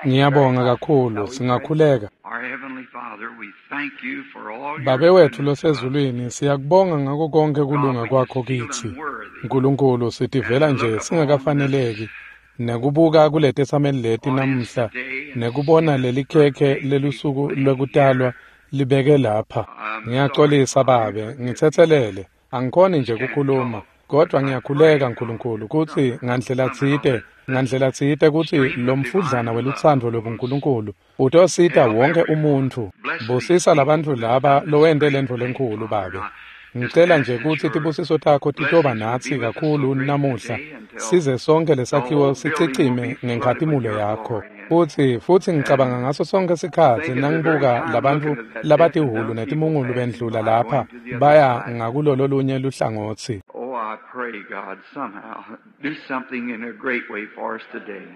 Ngiyabonga kakhulu, singakhuleka. Our Heavenly Father, we thank you for all your Babe wethu goodness to us. losezulwini, siyakubonga ngako konke kulunga kwakho kithi. Nkulunkulu, sitivela nje singakafaneleki nekubuka kuletetsameli leti namuhla nekubona lelikhekhe lelusuku lwekutalwa libeke lapha. Ngiyaxolisa babe, ngitsetselele. Angikhoni nje kukhuluma, kodwa ngiyakhuleka Nkulunkulu kutsi ngandlela tsite kutsi lomfudlana welutsandvo lwebuNkulunkulu utosita wonke umuntfu. Busisa labantfu laba lowente lentfo lenkhulu babe. Ngicela nje kutsi tibusiso takho titoba natsi kakhulu namuhla, size sonke lesakhiwo sicicime ngenkhatimulo yakho. Futsi ngicabanga ngaso sonke sikhatsi nangibuka labantfu labatihhulu netimungulu bendlula lapha baya ngakulololunye luhlangotsi. Oh, I pray, God, somehow do something in a great way for us today.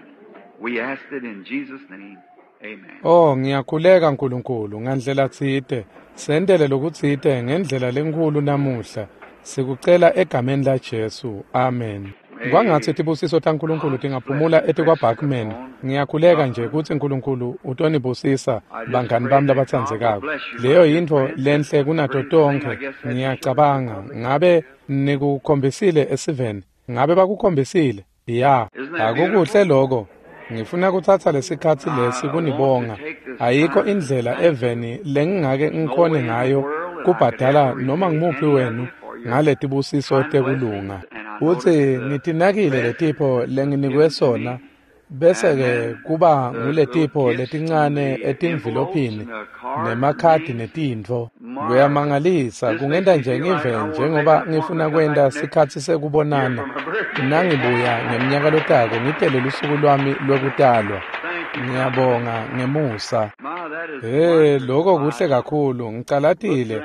We ask it in Jesus' name. Amen. Oh, ngiyakhuleka Nkulunkulu ngandlela tsite, sentele lokutsite ngendlela lenkhulu namuhla. Sikucela egameni laJesu. Amen. Kwangatsi tibusiso taNkulunkulu tingaphumula etikwaBachman. Ngiyakhuleka nje kutsi Nkulunkulu utonibusisa bangani bami labatsandzekako. Leyo yintfo lenhle kunato tonkhe. Ngiyacabanga ngabe nikukhombisile esiveni. Ngabe bakukhombisile? Ya, akukuhle lokho. Ngifuna kutsatsa lesikhatsi lesi kunibonga. Ayikho indlela eveni lengingake ngikhone ngayo kubhadala noma ngumuphi wenu ngaletibusiso tekulunga. Utsi ngitinakile letipho lenginikwe sona, bese-ke kuba nguletipho letincane etimvilophini nemakhadi netintfo. Kuyamangalisa, kungenta nje ngive njengoba ngifuna kwenta sikhatsi sekubonana. Nangibuya ngemnyaka lotako ngitele lusuku lwami lwekutalwa. Ngiyabonga ngemusa. Hey, lokho kuhle kakhulu, ngicalatile.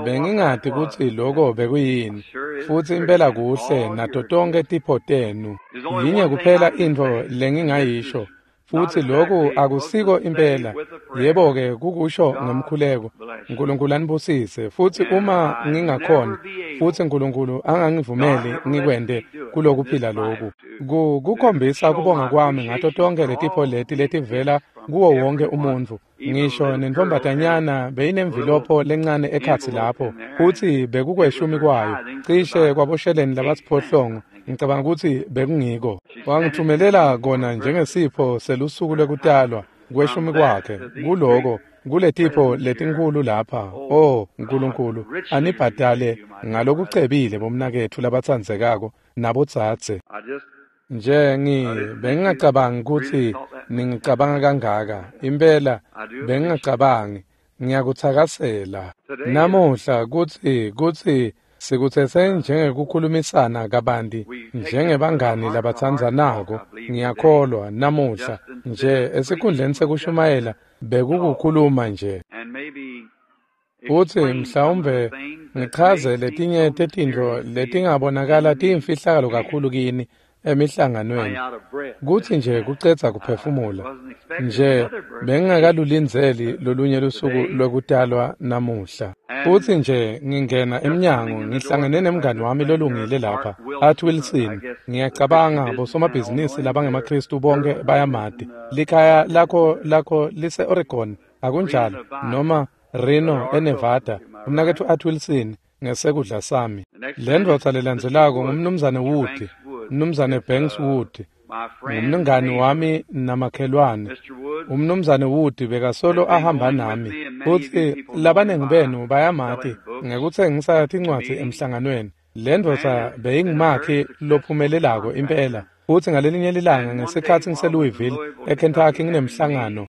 Bengingati kutsi lokho bekuyini. Futsi impela kuhle nato tonke tipho tenu. Yinye kuphela intfo lengingayisho. Futsi lokhu akusiko impela. Yebo-ke kukusho ngemkhuleko. Nkulunkulu anibusise. Futsi uma ngingakhona, futsi Nkulunkulu angangivumeli ngikwente kulokuphila loku. Kukhombisa kubonga kwami ngato tonke letipho leti letivela kuwo wonke umuntfu. Ngisho nentfombatanyana beyinemvilopho lencane ekhatsi lapho, futsi bekukweshumi kwayo, cishe kwabosheleni labasiphohlongo. Ngicabanga kutsi bekungiko. Wangitfumelela kona njengesipho selusuku lwekutalwa kweshumi kwakhe. Kuloko, kuletipho letinkhulu lapha. Oh, Nkulunkulu, anibhadale ngalokucebile bomnaketfu labatsandzekako nabodzadze. Nje bengingacabangi kutsi ningicabanga kangaka. Impela bengingacabangi. Ngiyakutsakasela. Namuhla kutsi sikutsetse njengekukhulumisana kabanti njengebangani labatsandzanako. Ngiyakholwa namuhla nje esikhundleni sekushumayela bekukukhuluma nje. Futsi mhlawumbe ngichaze letinye tetintfo letingabonakala tiyimfihlakalo kakhulu kini emihlanganweni. Kutsi nje kucedza kuphefumula. Nje bengingakalulindzeli lolunye lusuku lwekutalwa namuhla. Futsi nje ngingena emnyango ngihlangene nemngani wami lolungile lapha, Art Wilson. Ngiyacabanga bosomabhizinisi labangemaKhristu bonke bayamati. Likhaya lakho lise-Oregon, akunjalo? Noma Reno eNevada. Umnaketfu Art Wilson ngesekudla sami. Le ndvodza lelandzelako ngumnumzane Wood, umnumzane Banks Wood, ngumngani wami namakhelwane. Umnumzane Wood bekasolo ahamba nami, futsi labanengi benu bayamati ngekutsengisa tincwadzi emhlanganweni. Le ndvodza beyingumakhi lophumelelako impela. Futsi ngalelinye lilanga ngesikhatsi ngiseLouisville eKentucky nginemhlangano,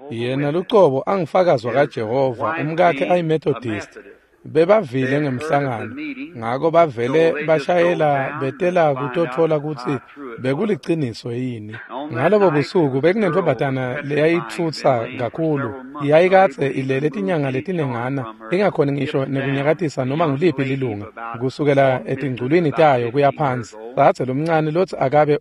yena lucobo angifakazi kaJehova, umkakhe ayiMethodist. Bebavile ngemhlangano, ngako bavele bashayela betela kutotfola kutsi bekuliciniso yini. Ngalobo busuku bekunentfombatana leyayitfutsa kakhulu. Yayikadze ilele tinyanga letinengana, ingakhoni ngisho nekunyakatisa noma nguliphi lilunga kusukela etingculwini tayo kuya phansi. Dzadze lomncane lotsi akabe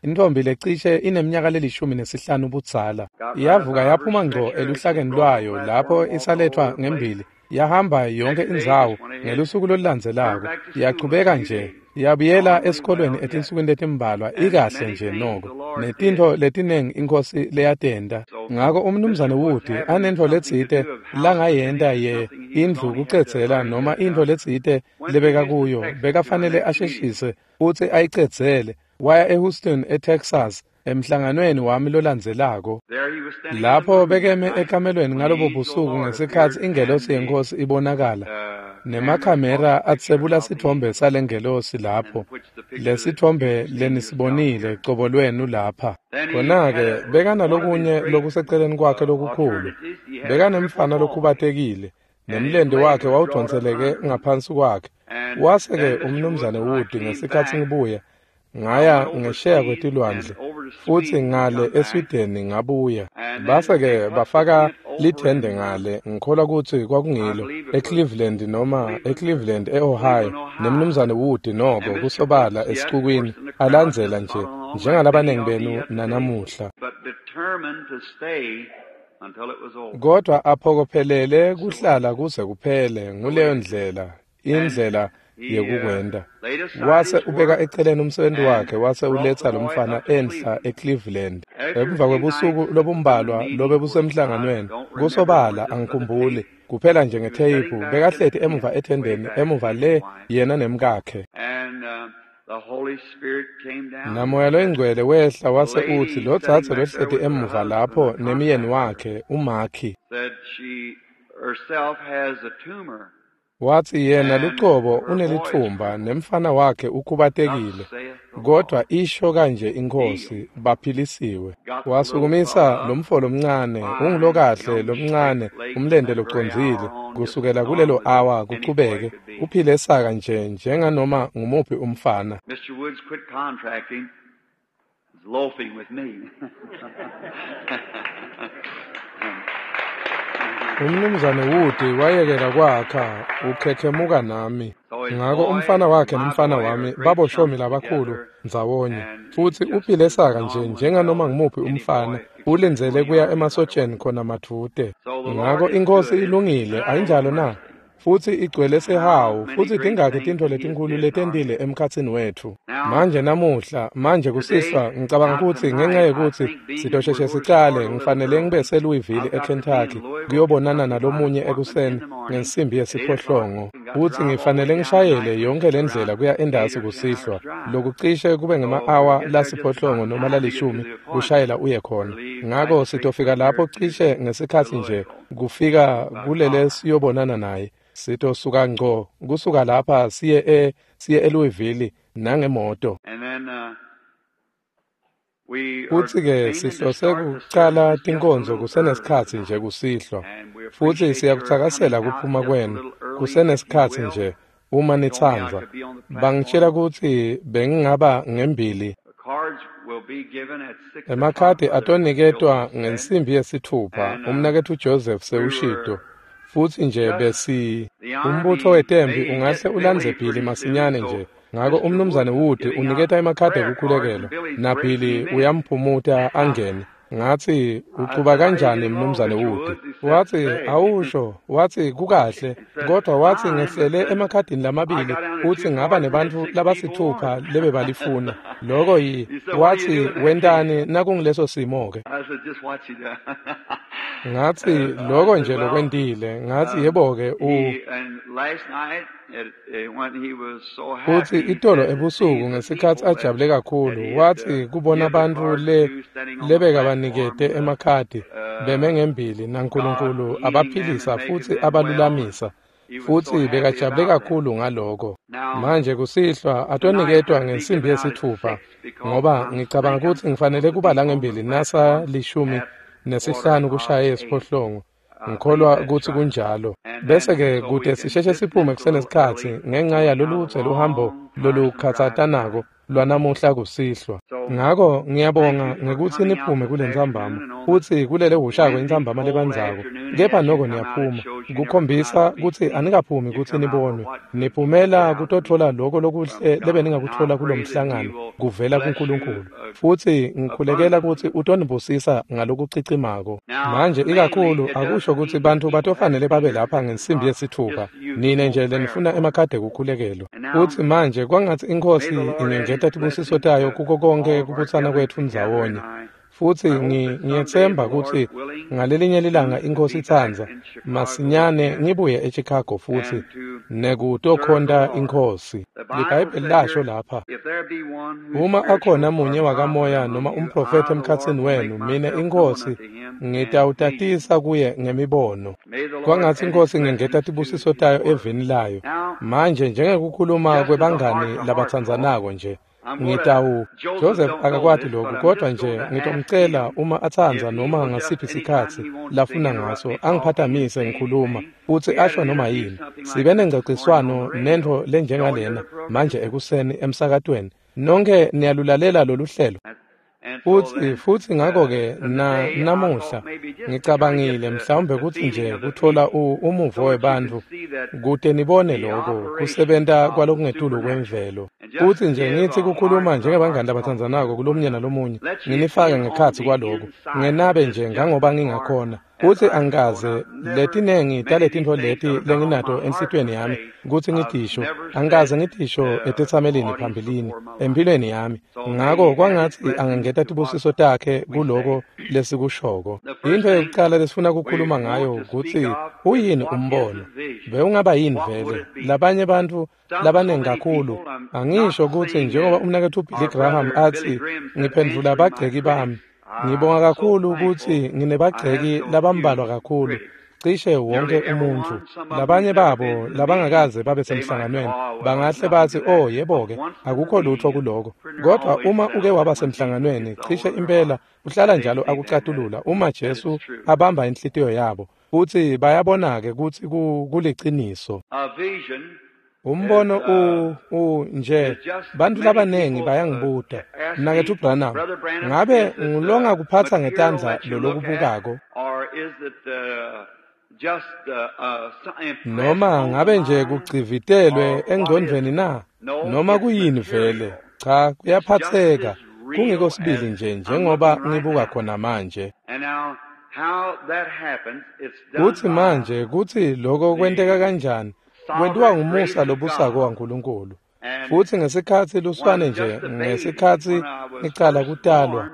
intfombi lecishe ineminyaka le15 budzala. Yavuka yaphuma ngco eluhlakeni lwayo lapho isaletfwa ngembili. Yahamba yonke indzawo ngelusuku lolulandzelako. Yachubeka nje. Yabuyela esikolweni etinsukwini letimbalwa ikahle nje noko netintfo letiningi iNkhosi leyatenta. Ngako umnumzane Wood anentfo letsite langayenta ye indlu kucedzela noma intfo letsite lebeka kuyo bekafanele asheshise futsi ayicedzele. Waya eHouston eTexas emhlanganweni wami lolandzelako. Lapho bekeme ekamelweni ngalobo busuku ngesikhatsi ingelosi yeNkhosi ibonakala nemakhamera atsebula sitfombe salengelosi lapho, lesitfombe lenisibonile cobo lwenu lapha. Khona-ke bekanalokunye lokuseceleni kwakhe lokukhulu, bekanemfana lokhubatekile nemlente wakhe wawudvonseleke ngaphansi kwakhe. Wase-ke umnumzane Wood ngesikhatsi ngibuya ngaya ngesheya kwetilwandle futsi ngale eSweden ngabuya. Base-ke bafaka lithende ngale, ngikholwa kutsi kwakungilo eCleveland noma eCleveland eOhio, nemnumzane Wood noko kusobala esicukwini alandzela nje njengalabanengi benu nanamuhla. Kodwa aphokophelele kuhlala kuze kuphele nguleyo ndlela, indlela yekukwenta. Wase ubeka eceleni umsebenzi wakhe wase uletsa lomfana enhla eCleveland. Emva kwebusuku lobumbalwa lobe busemhlanganweni, kusobala angikhumbuli kuphela nje ngetheyiphu, bekahleti emuva ethendeni emuva le yena nemkakhe. Namoya loyingcwele wehla wase utsi lo dzadze lohleti emuva lapho nemyeni wakhe uMakhi. Watsi yena lucobo unelitfumba nemfana wakhe ukhubatekile, kodwa isho kanje iNkhosi, baphilisiwe. Wasukumisa lomfo lomncane, ungulokahle lomncane, umlente locondzile, kusukela kulelo awa kuchubeke, uphile saka nje njenganoma ngumuphi umfana. Mr. Woods quit contracting, was loafing with me. Umnumzane Wood wayekela kwakha ukhekhemuka nami. Ngako umfana wakhe nemfana wami baboshomi labakhulu ndzawonye, futsi uphile saka nje njenganoma ngumuphi umfana, ulindzele kuya emasotsheni khona madvute. Ngako iNkhosi ilungile, ayinjalo na? Futsi igcwele sihawu, futsi tingakhi tintfo letinkhulu letentile emkhatsini wetfu. Manje namuhla, manje kusihlwa, ngicabanga kutsi ngenxa yekutsi sitosheshe sicale, ngifanele ngibe seLouisville eKentucky kuyobonana nalomunye ekuseni ngensimbi yesiphohlongo. Futsi ngifanele ngishayele yonke lendlela kuya endasi kusihlwa, lokucishe kube ngema-awa lasiphohlongo noma lalishumi kushayela uye khona. Ngako sitofika lapho cishe ngesikhatsi nje kufika kulele siyobonana naye. Sitosuka ngco kusuka lapha siye eLouisville nangemoto. Futsi-ke sihlose kucala tinkonzo kusenesikhatsi nje kusihlwa, futsi siyakutsakasela kuphuma kwenu kusenesikhatsi nje uma nitsandza. Bangitshela kutsi bengingaba ngembili. Emakhadi atoniketwa ngensimbi yesithupha, umnaketfu Joseph sewushito. Futsi nje besi umbutfo wetempi ungahle ulandze Billy masinyane nje. Ngako umnumzane Wood uniketa emakhadi ekukhulekelwa naBilly uyamphumuta angene. Ngatsi uchuba kanjani mnumzane Wood? Watsi awusho, watsi kukahle, kodwa watsi ngehlele emakhadini lamabili futsi ngaba nebantfu labasithupha lebebalifuna. Loko yi watsi wentani nakungileso simo ke? Ngatsi loko nje lokwentile. Ngatsi yebo ke Futsi itolo ebusuku ngesikhatsi ajabule kakhulu, watsi kubona bantfu lebekabanikete emakhadi beme ngembili naNkulunkulu abaphilisa futsi abalulamisa, futsi bekajabule kakhulu ngaloko. Manje kusihlwa atoniketwa ngensimbi yesithupha, ngoba ngicabanga kutsi ngifanele kuba la ngembili nasa 4:45 kushaye esiphohlongo. Ngikholwa kutsi kunjalo. Bese-ke kute sisheshe siphume kusenesikhatsi ngenxa yaloludze luhambo lolukhatsatanako lwanamuhla kusihlwa. Ngako ngiyabonga ngekutsi niphume kulentsambama futsi kulele hushako intsambama lebandzako, kepha noko niyaphuma kukhombisa kutsi anikaphumi kutsi nibonwe, niphumela kutotfola loko lokuhle lebeningakutfola kulomhlangano kuvela kuNkulunkulu. Futsi ngikhulekela kutsi utonibusisa ngalokucicimako. Manje ikakhulu akusho kutsi bantfu batofanele babe lapha ngensimbi yesithupha, nine nje lenifuna emakhadi ekukhulekelwa. Futsi manje kwangatsi iNkhosi ingengeta tibusiso tayo kuko konke kubutsana kwetfu ndzawonye. Futsi ngiyetsemba kutsi ngalelinye lilanga iNkhosi itsandza masinyane ngibuye eChicago futsi nekutokhonta iNkhosi. LiBhayibheli lasho lapha, uma akhona munye wakamoya noma umprofethi emkhatsini wenu, mine iNkhosi ngitawutatisa kuye ngemibono. Kwangatsi iNkhosi ingengeta tibusiso tayo evini layo. Manje njengekukhuluma kwebangani labatsandzanako nje, ngitawu Joseph akakwati lokhu, kodwa nje ngitomcela uma atsandza noma ngasiphi sikhatsi lafuna ngaso angiphatamise ngikhuluma futsi asho noma yini. Sibe nengcociswano nentfo lenjengalena manje ekuseni emsakatweni. Nonke niyalulalela lolu hlelo. Futsi ngako-ke namuhla ngicabangile mhlawumbe kutsi nje kutfola umuvo webantfu kute nibone loko kusebenta kwalokungetulu kwemvelo. Futsi nje ngitsi kukhuluma njengebangani labatsandzanako kulomunye nalomunye, nginifake ngekhatsi kwaloko, ngenabe nje ngangoba ngingakhona. Futsi angikaze letinengi taletintfo leti lenginato enhlitiyweni yami kutsi ngitisho, angikaze ngitisho etetsamelini phambilini empilweni yami. Ngako kwangatsi angengeta tibusiso takhe kuloko lesikushoko. Intfo yekucala lesifuna kukhuluma ngayo kutsi uyini umbono? Bewungaba yini vele? Labanye bantfu labanengi kakhulu, angisho kutsi njengoba umnaketfu Billy Graham atsi, ngiphendvula bagceki bami. Ngibonga kakhulu kutsi nginebagceki labambalwa kakhulu, cishe wonke umuntfu. Labanye babo labangakaze babe semhlanganweni bangahle batsi, oh yebo-ke, akukho lutfo kuloko. Kodwa uma uke waba semhlanganweni, cishe impela uhlala njalo akucatulula uma Jesu abamba inhlitiyo yabo, futsi bayabona-ke kutsi kuliciniso. Umbono nje bantfu labanengi bayangibuta, Mnaketfu Branham, ngabe ngulongakuphatsa ngetandla lolokubukako? Noma ngabe nje kugcivitelwe engcondvweni na? Noma kuyini vele? Cha, kuyaphatseka. Kungiko sibili nje njengoba ngibuka khona manje. Kutsi manje kutsi loko kwenteka kanjani? Kwentiwa ngumusa lobusako waNkulunkulu. Futsi ngesikhatsi luswane nje, ngesikhatsi ngicala kutalwa,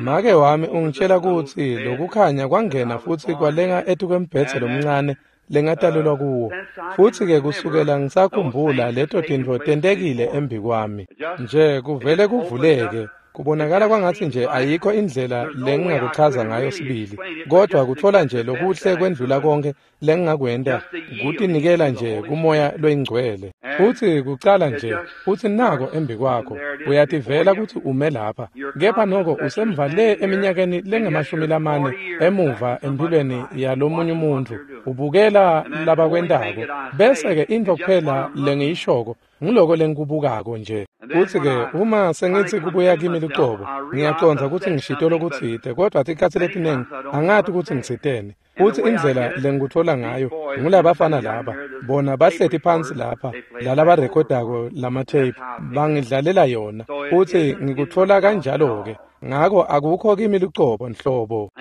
make wami ungitshela kutsi lokukhanya kwangena futsi kwalenga etukwembhedze lomncane lengatalelwa kuwo. Futsi-ke kusukela ngisakhumbula leto tintfo tentekile embi kwami. Nje kuvele kuvuleke. Kubonakala kwangatsi nje ayikho indlela lengingakuchaza ngayo sibili, kodwa kutfola nje lokuhle kwendlula konke lengingakwenta kutinikela nje kuMoya loyiNgcwele. Futsi kucala nje, futsi nako embi kwakho, uyativela kutsi ume lapha, kepha noko usemva le eminyakeni lengamashumi lamane emuva empilweni yalomunye umuntfu, ubukela labakwentako. Bese-ke intfo kuphela lengiyishoko ngiloko lengikubukako nje. Futsi-ke uma sengithi kubuya kimi lucobo, ngiyacondza kutsi ngishito lokutsite, kodwa tikhatsi letinengi angati kutsi ngitsiteni. Futsi indlela lengikutfola ngayo ngulabafana laba, bona bahleti phansi lapha, lalabarekhodako lamatheyiphu, bangidlalela yona. Futsi ngikutfola kanjalo-ke. Ngako akukho kimi lucobo nhlobo.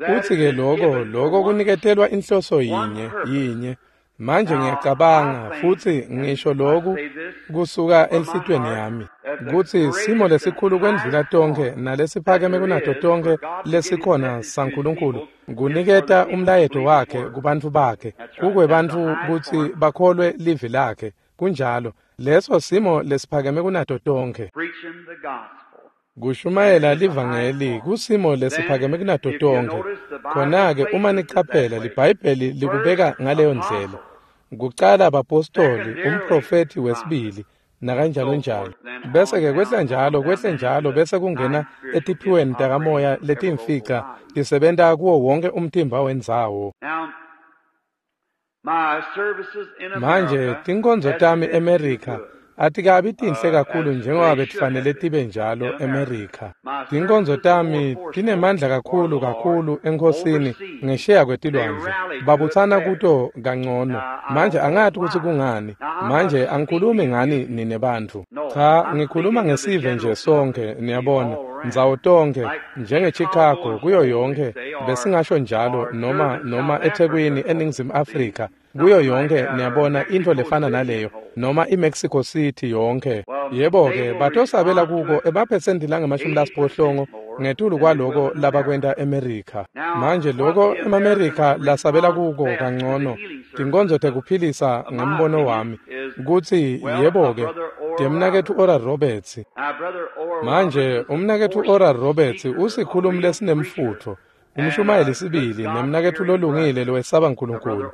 Futsi-ke loko kuniketelwa inhloso yinye. Manje ngiyacabanga futsi ngisho loku kusuka enhlitiyweni yami kutsi simo lesikhulu kwendlula tonkhe nalesiphakeme kunato tonkhe lesikhona saNkulunkulu kuniketa umlayeto wakhe kubantfu bakhe, kukwebantfu kutsi bakholwe livi lakhe. Kunjalo, leso simo lesiphakeme kunato tonkhe. Kushumayela livangeli kusimo lesiphakeme kunato tonkhe. Khona-ke uma nicaphela, liBhayibheli likubeka ngaleyo ndlela. Kucala abapostoli, umprofethi wesibili, nakanjalo njalo. Bese-ke kwehla njalo, kwehle njalo, bese kungena etiphiweni takamoya letimfica tisebenta kuwo wonke umtimba wendzawo. Manje tinkonzo tami eMerica atikabi tinhle kakhulu njengoba betifanele tibe njalo eMerica. Tinkonzo tami tinemandla kakhulu kakhulu eNkhosini ngesheya kwetilwandle. Babutsana kuto kangcono. Manje angati kutsi kungani. Manje angikhulumi ngani nine bantfu. Cha, ngikhuluma ngesive nje sonke, niyabona. Ndzawo tonkhe, njengeChicago kuyo yonke, besingasho njalo noma eThekwini eNingizimu Afrika. Kuyo yonke niyabona into lefana naleyo noma iMexico City yonke. Yebo-ke batosabela kuko emaphesenti langama-80 ngetulu kwaloko labakwenta eMerica. Manje loko emaMerica lasabela kuko kangcono tinkonzo tekuphilisa ngembono wami kutsi yebo-ke temnaketfu Oral Roberts. Manje umnaketfu Oral Roberts usikhulumi lesinemfutfo, umshumayeli sibili nemnaketfu lolungile lowesaba Nkulunkulu.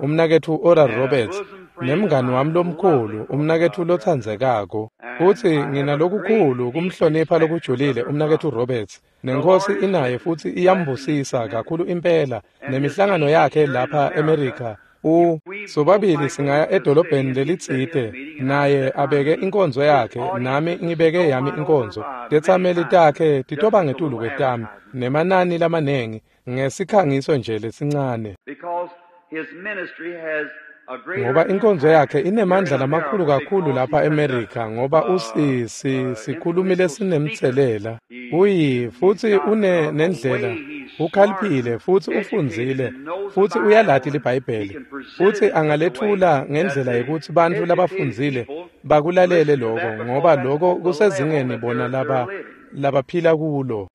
Umnaketfu Oral Roberts nemngani wami lomkhulu, umnaketfu lotsandzekako. Futsi nginalokukhulu kumhlonipha lokujulile umnaketfu Roberts. Nenkosi inaye futsi iyambusisa kakhulu impela nemihlangano yakhe lapha eMerica. Sobabili singaya edolobheni lelitsite, naye abeke inkonzo yakhe, nami ngibeke yami inkonzo. Tetsameli takhe titoba ngetulu kwetami nemanani lamanengi ngesikhangiso nje lesincane. Ngoba inkonzo yakhe inemandla lamakhulu kakhulu lapha eMerica ngoba sikhulumi lesinemtselela. Uyi futsi une nendlela, ukhaliphile futsi ufundzile futsi uyalati liBhayibheli futsi angalethula ngendlela yekutsi bantfu labafundzile bakulalele loko ngoba loko kusezingeni bona labaphila kulo.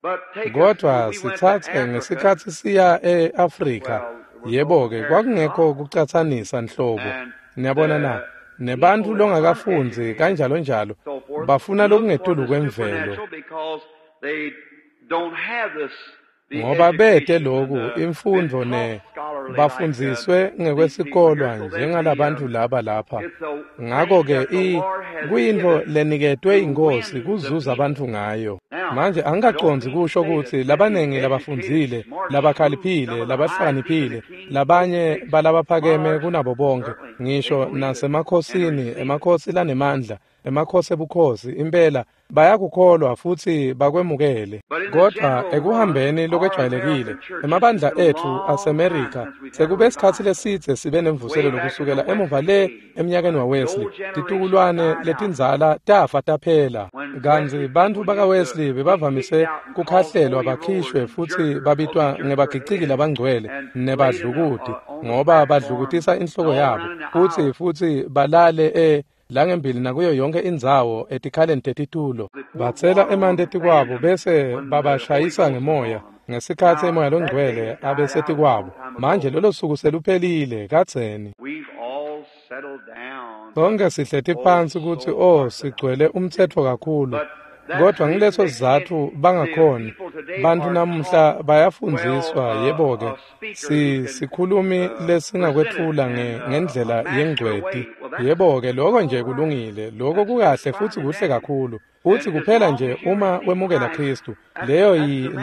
Kodwa sitsatse ngesikhatsi siya e-Afrika, yebo-ke kwakungekho kucatsanisa nhlobo. Niyabona na? Nebantfu longakafundzi kanjalo njalo bafuna lokungetulu kwemvelo. Ngoba bete loku imfundvo ne bafundziswe ngekwesikolwa njengalabantfu laba lapha. Ngako-ke kuyintfo leniketwe iNkhosi kuzuza bantfu ngayo. Manje angikacondzi kusho kutsi labanengi labafundzile, labakhaliphile, labahlakaniphile, labanye balabaphakeme kunabo bonke, ngisho nasemakhosini, emakhosi lanemandla, emakhosi ebukhosi, impela bayakukholwa futsi bakwemukele. Kodwa ekuhambeni lokwejwayelekile, emabandla etfu aseMerica sekube sikhatsi lesidze sibe nemvuselelo kusukela emuva le emnyakeni waWesley. Titukulwane letindzala tafa taphela. Kantsi bantfu bakaWesley bebavamise kukhahlelwa bakhishwe futsi babitwa ngebagiciki labangcwele nebadlukuti ngoba badlukutisa inhloko yabo futsi balale langembili nakuyo yonke indzawo etikhaleni tetitulo. Batsela emanti etikwabo bese babashayisa ngemoya ngesikhatsi emoya longcwele abesetikwabo. Manje lolo suku seluphelile kadzeni. Sonke sihleti phansi kutsi sigcwele umtsetfo kakhulu. Kodwa ngileso sizatfu bangakhoni. Bantfu namuhla bayafundziswa, yebo-ke sikhulumi lesingakwetfula ngendlela yengcweti. Yebo-ke loko nje kulungile, loko kukahle futsi kuhle kakhulu. Futsi kuphela nje uma wemukela Khristu,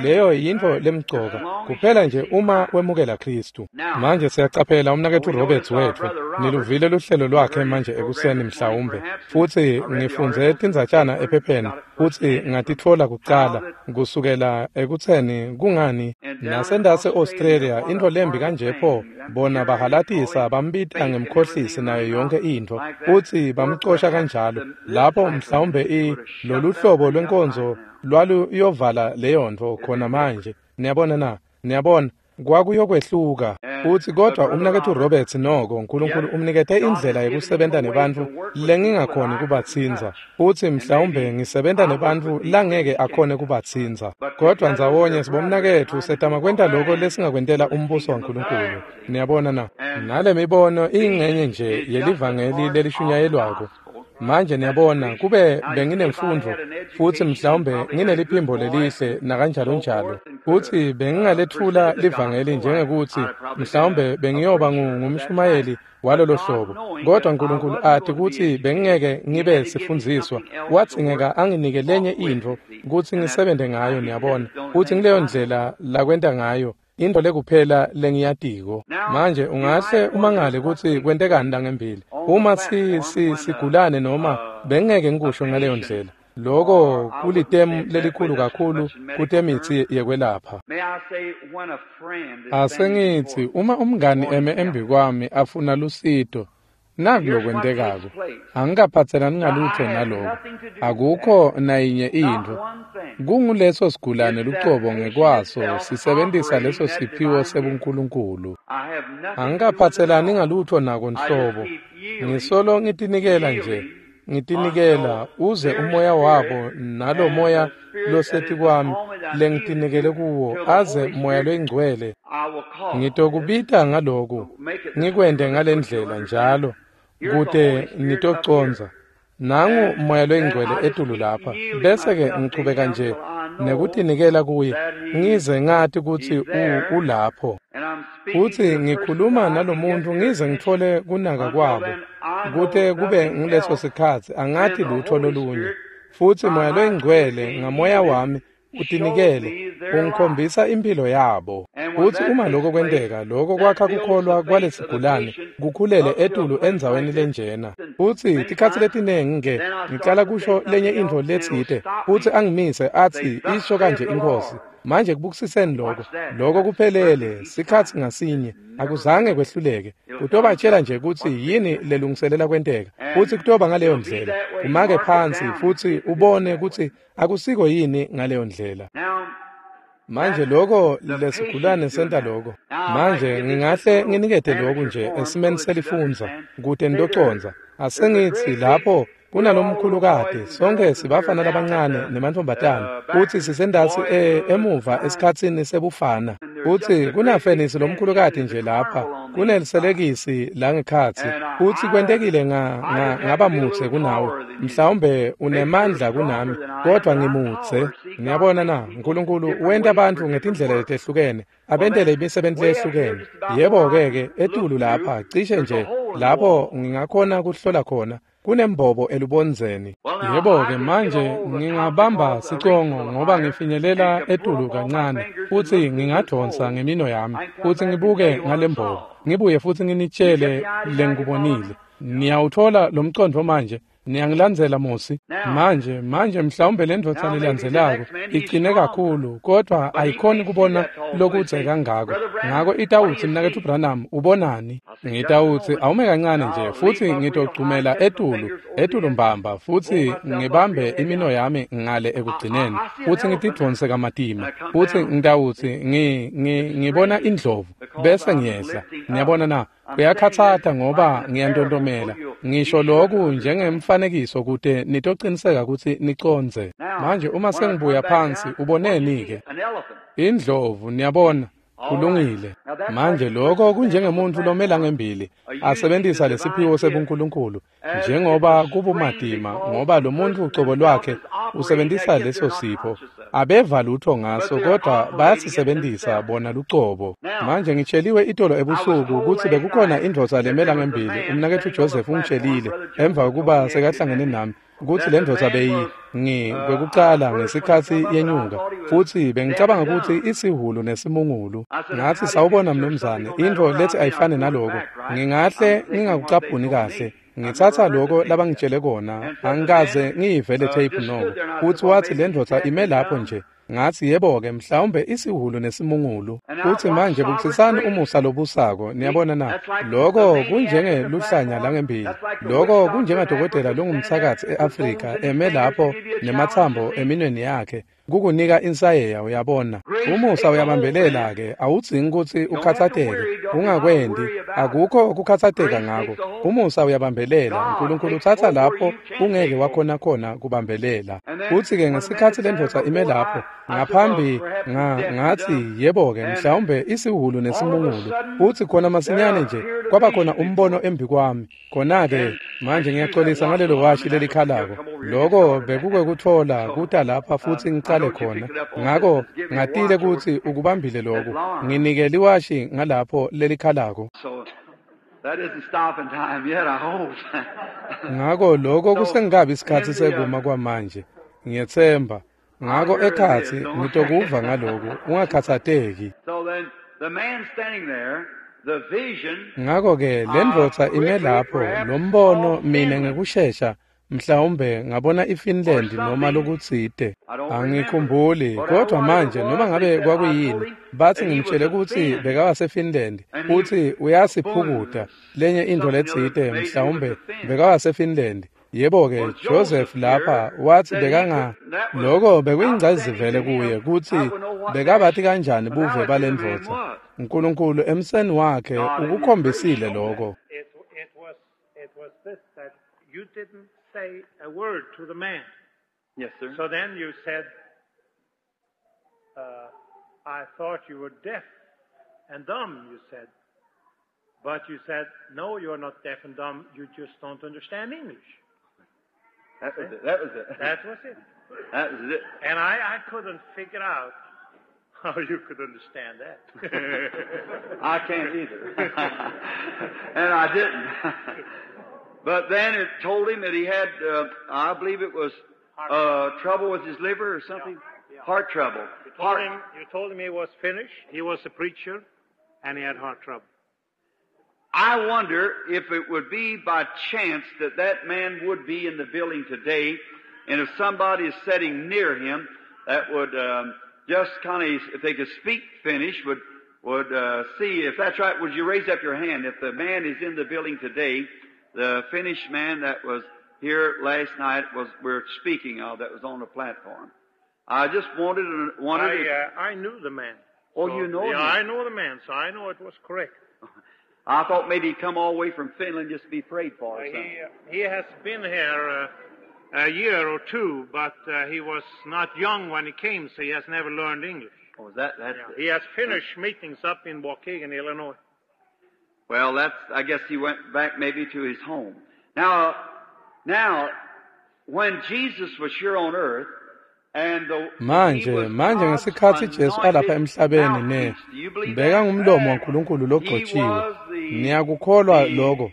leyo yintfo lemcoka. Kuphela nje uma wemukela Khristu. Manje siyacaphela umnaketfu Roberts wetfu. Niluvile luhlelo lwakhe manje ekuseni mhlawumbe. Futsi ngifundze tindzatjana ephepheni futsi ngatitfola kucala kusukela ekutseni kungani nasendase Australia intfo lembi kanje pho bona bahalatisa bambita ngemkhohlisi nayo yonke intfo futsi bamcosha kanjalo. Lapho mhlawumbe lolu hlobo lwenkonzo lwaluyovala leyontfo khona manje. Niyabona na? Niyabona kwakuyokwehluka. Futsi kodwa umnaketfu Roberts noko Nkulunkulu umnikete indlela yekusebenta nebantfu lengingakhoni kubatsintsa. Futsi mhlawumbe ngisebenta nebantfu langeke akhone kubatsintsa. Kodwa ndzawonye sibomnaketfu setama kwenta loko lesingakwentela umbuso waNkulunkulu. Niyabona na? Nale mibono iyingxenye nje yelivangeli lelishunyayelwako. Manje niyabona kube benginemfundvo futsi mhlawumbe ngineliphimbo lelihle nakanjalo njalo. Futsi bengingalethula livangeli njengekuthi mhlawumbe bengiyoba ngumshumayeli walolo hlobo. Kodwa Nkulunkulu ati kutsi bengingeke ngibe sifundziswa. Wadzingeka anginike lenye intfo kutsi ngisebente ngayo, niyabona. Futsi ngileyo ndlela lakwenta ngayo. Into lekuphela lengiyatiko. Manje ungahle umangale kutsi kwentekani langembili. Uma sigulane noma bengeke ngikusho ngaleyo ndlela. Loko kulitemu lelikhulu kakhulu kutemitsi yekwelapha. Asengithi uma umngani eme embikwami afuna lusito, naku lokwentekako. Angikaphathelani ngalutho naloko. Akukho nayinye intfo. Kunguleso sigulane lucobo ngekwaso sisebentisa leso siphiwo sebuNkulunkulu. Angikaphathelani ngalutho nako nhlobo. Ngisolo ngitinikela nje. Ngitinikela uze umoya wabo nalo moya losetikwami lengitinikele kuwo aze moya loyingcwele. Ngitokubita ngaloku, ngikwente ngalendlela njalo kute nitoconza. Nangu moya loyingcwele etulu lapha, bese-ke ngichubeka nje nekutinikela kuye ngize ngati kutsi ulapho. Futsi ngikhuluma nalomuntu ngize ngitfole kunaka kwabo, kute kube nguleso sikhatsi angati lutho lolunye. Futsi moya loyingcwele ngamoya wami utinikele ungikhombisa impilo yabo. Futsi uma lokho kwenteka, lokho kwakha kukholwa kwalesigulane kukhulele etulu endzaweni lenjena. Futsi tikhatsi letinengi-ke ngicala kusho lenye intfo letsite, futsi angimise atsi isho kanje iNkhosi. Manje kubukisiseni lokho, lokho kuphelele sikhatsi ngasinye, akuzange kwehluleke. Kutobatshela nje kutsi yini lelungiselela kwenteka, futsi kutoba ngaleyo ndlela. Umake phansi futsi ubone kutsi akusiko yini ngaleyo ndlela. Manje lokho lesigulane senta lokho. Manje ngingahle nginikete lokhu nje esimeni selifundza kute nitoconza. Asengithi lapho kunalomkhulukati, sonke sibafana labancane nemantfombatana, futsi sisendasi emuva esikhatsini sebufana. Futsi kunafenisi lomkhulukati nje lapha, kuneliselekisi langekhatsi, futsi kwentekile ngaba mutse kunawe. Mhlawumbe unemandla kunami, kodwa ngimutse. Niyabona na, Nkulunkulu wenta bantfu ngetindlela letehlukene, abentele imisebenzi lehlukene. Yebo-ke etulu lapha, cishe nje lapho ngingakhona kuhlola khona. Kunembobo elubondzeni. Yebo-ke manje ngingabamba sicongo ngoba ngifinyelela etulu kancane, futsi ngingadonsa ngemino yami, futsi ngibuke ngalembobo, ngibuye futsi nginitshele lengikubonile. Niyawuthola lo mcondvo manje? Niyangilandzela Mosi? Manje mhlawumbe lendvodza lelandzelako icine kakhulu, kodwa ayikhoni kubona lokudze kangako. Ngako itawutsi, Mnaketfu Branham, ubonani? Ngitawutsi awume kancane nje, futsi ngitogcumela etulu mbamba, futsi ngibambe imino yami ngale ekugcineni, futsi ngitidvonse kamatima, futsi ngitawutsi ngibona indlovu, bese ngiyehla. Niyabona na? Kuyakhatsata ngoba ngiyantontomela. Ngisho lokhu njengemfanekiso kute nitociniseka kutsi nicondze. Manje uma sengibuya phansi, uboneni-ke? Indlovu, niyabona. Kulungile. Manje lokho kunjengemuntu lomela ngembili asebentisa lesiphiwo sebuNkulunkulu, njengoba kubumatima ngoba lo muntu ucobo lwakhe usebentisa leso sipho. Abeva lutho ngaso, kodwa bayasisebentisa bona lucobo. Manje ngitsheliwe itolo ebusuku kutsi bekukhona indvodza lemela ngembili, umnaketfu Joseph ungitshelile emva kokuba sekahlangene nami, kutsi le ndvodza kwekucala ngesikhatsi yenyuka, futsi bengicabanga kutsi isihulu nesimungulu. Ngathi, sawubona mnumzane, intfo lethi ayifane naloko. Ngingahle ngingakucaphuni kahle. Ngitsatsa lokho labangitshele kona, angikaze ngiyivele tape noko. Futsi watsi le ndvodza ime lapho nje. Ngathi, yebo-ke, mhlawumbe isihulu nesimungulu. Futsi manje bukisisani umusa lobusako, niyabona na? Lokho kunjengeluhlanya langembili. Lokho kunjengadokotela longumtsakatsi e-Afrika eme lapho nematsambo eminweni yakhe, kukunika insayeya, uyabona. Umusa uyabambelela-ke, awudzingi kutsi ukhatsateke, ungakwendi, akukho kukhatsateka ngako. Umusa uyabambelela, Nkulunkulu utsatsa lapho ungeke wakhona khona kubambelela. Futsi-ke ngesikhatsi lendvodza ime lapho, ngaphambi ngathi, yebo-ke, mhlawumbe isihulu nesimungulu. Futsi khona masinyane nje kwaba khona umbono embi kwami. Khona-ke manje ngiyaxolisa ngalelo washi lelikhalako. Lokho bekukwekutfola kuta lapha futsi ngicale khona. Ngako ngatile kutsi ukubambile lokhu. Nginike liwashi ngalapho lelikhalako. Ngako lokho kusengabi isikhatsi sekuma kwamanje. Ngiyetsemba. Ngako ekhatsi ngitokuva ngaloku, ungakhatsateki. the man standing there, the vision, Ngako-ke lendvodza ime lapho, lombono mine ngekushesha mhlawumbe ngabona iFinland noma lokutsite. Angikhumbuli, kodwa manje noma ngabe kwakuyini, bathi ngimtshele kutsi bekawaseFinland, utsi uyasiphukuta lenye intfo letsite mhlawumbe bekawaseFinland. Yebo-ke, Joseph lapha wathi bekanga loko bekuyingcayizivele kuye kutsi bekabati kanjani buve balendvodza. Nkulunkulu emseni wakhe ukukhombisile lokho. It was this that you didn't say a word to the man. Yes, sir. So then you said, I thought you were deaf and dumb, you said. But you said, no, you're not deaf and dumb, you just don't understand English. That was it. That was it. That was it. That was it. And I couldn't figure out how you could understand that. I can't either. And I didn't. But then it told him that he had, I believe it was trouble with his liver or something. Yeah. Yeah. Heart trouble. You told him he was Finnish, he was a preacher, and he had heart trouble. I wonder if it would be by chance that that man would be in the building today, and if somebody is sitting near him that would just kind of, if they could speak Finnish, would see. If that's right, would you raise up your hand? If the man is in the building today, the Finnish man that was here last night we're speaking of, that was on the platform. I just wondered. I knew the man. Oh, so, you know him? Yeah, I know the man, so I know it was correct. I thought maybe he'd come all the way from Finland just to be prayed for or something. He has been here a year or two, but he was not young when he came, so he has never learned English. Oh, is that, that's yeah. He has finished meetings up in Waukegan, Illinois. Well, I guess he went back maybe to his home. Now, when Jesus was here on earth, Manje ngesikhatsi Jesu alapha emhlabeni ne bekangumlomo waNkulunkulu logcotshiwe. Niyakukholwa lokho?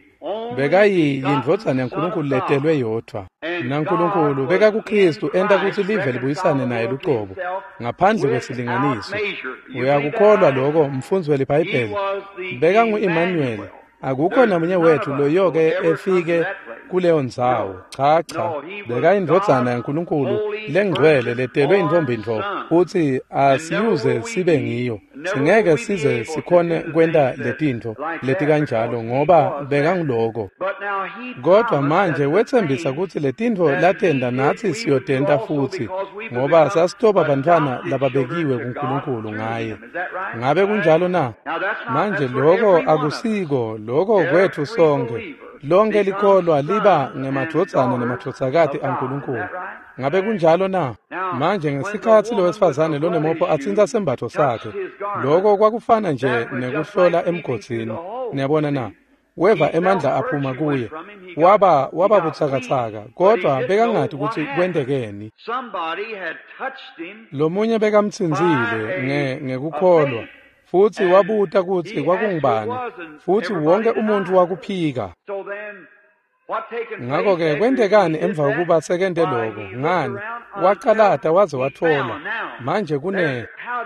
Bekayindvodzana yaNkulunkulu letelwe yodvwa. NaNkulunkulu bekakuKristu enta kutsi live libuyisane naye lucobo ngaphandle kwesilinganiso. Uyakukholwa lokho, mfundzi weliBhayibheli? Bekangu-Emmanuel. Akukho namunye wethu loyoke efike kuleyo ndzawo. Cha, bekayindvodzana yaNkulunkulu lengcwele letelwe intfombi ntfo, futsi asiyuze sibe ngiyo. Singeke size sikhone kwenta letintfo letikanjalo ngoba bekanguloko. Kodwa manje wetsembisa kutsi letintfo latenta natsi siyotenta futsi, ngoba sasitoba bantfwana lababekiwe kuNkulunkulu ngaye. Ngabe kunjalo na? Manje loko akusiko, loko kwetfu sonkhe. Lonke likholwa liba ngemadvodzana nemadvodzakati aNkulunkulu. Ngabe kunjalo na? Manje ngesikhatsi lowesifazane lonemopho atsintsa sembatfo sakhe, loko kwakufana nje nekuhlola emgodzini. Niyabona na? Weva emandla aphuma kuye. Waba butsakatsaka, kodwa bekangati kutsi kwentekeni. Lomunye bekamtsintsile ngekukholwa, futsi wabuta kutsi kwakungubani, futsi wonke umuntfu wakuphika. Ngako-ke kwentekani emva kokuba sekente loko? Ngani? Wacalata waze watfola. Manje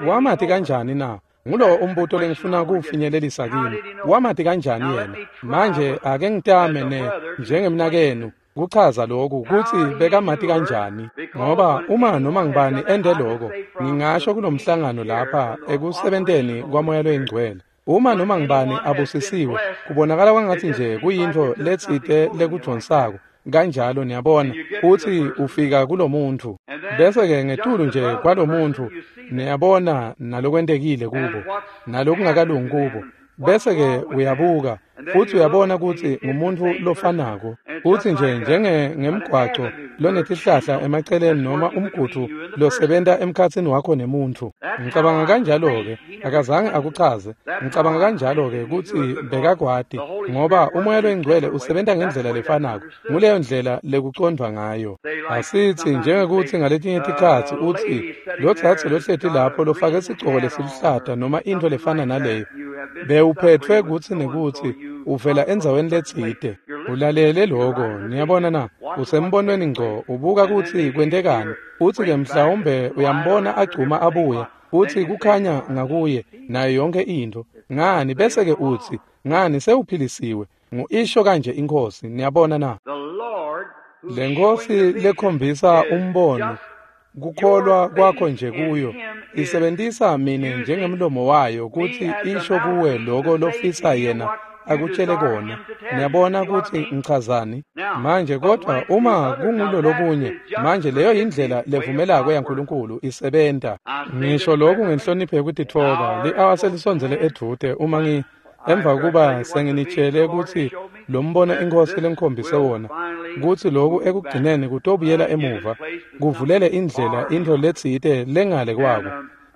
wamati kanjani na? Ngulowo umbuto lengifuna kuwufinyelelisa kini. Wamati kanjani yena? Manje ake ngitame njengemnakenu kuchaza lokhu kutsi bekamati kanjani, ngoba uma noma ngibani ende loko, ngingasho kulomhlangano lapha ekusebenteni kwaMoya loyiNgcwele, uma noma ngibani abusisiwe, kubonakala kwangatsi nje kuyintfo letsite lekudvonsako kanjalo, niyabona, utsi ufika kulomuntfu, bese-ke ngetulu nje kwalomuntfu niyabona nalokwentekile kubo nalokungakalungi kubo, bese-ke uyabuka futsi uyabona kutsi ngumuntfu lofanako, futsi nje njengemgwaco lonetihlahla emaceleni noma umgudvu losebenta emkhatsini wakho nemuntfu. Ngicabanga kanjalo-ke, akazange akuchaze. Ngicabanga kanjalo-ke kutsi bekakwati, ngoba uMoya loyiNgcwele usebenta ngendlela lefanako. Nguleyo ndlela lekucondvwa ngayo. Asitsi njengekutsi ngaletinye tikhatsi utsi lotsatsi lohleti lapho lofake sigcoko lesiluhlata noma intfo lefana naleyo, bewuphetfwe kutsi nekutsi uvela endzaweni letsite. Ulalele loko, niyabona na? Usembonweni ngco, ubuka kutsi kwentekani, utsi-ke mhlawumbe uyambona agcuma abuya. Futsi kukhanya ngakuye nayo yonke intfo. Ngani bese-ke utsi, ngani sewuphilisiwe. Ngu-isho kanje iNkhosi, niyabona na? Le Nkhosi lekhombisa umbono, kukholwa kwakho nje kuyo, isebentisa mine njengemlomo wayo kutsi isho kuwe loko lofisa yena akutshele kona. Niyabona kutsi ngichazani? Manje kodwa uma kungulolokunye, manje leyo yindlela levumelako yaNkulunkulu isebenta. Ngisho lokhu ngenhlonipho yekutitfoba, li-awa selisondzele edvute uma emva kuba senginitshele kutsi lo mbono iNkhosi lengikhombise wona, kutsi loku ekugcineni kutobuyela emuva, kuvulele indlela intfo letsite lengale kwako.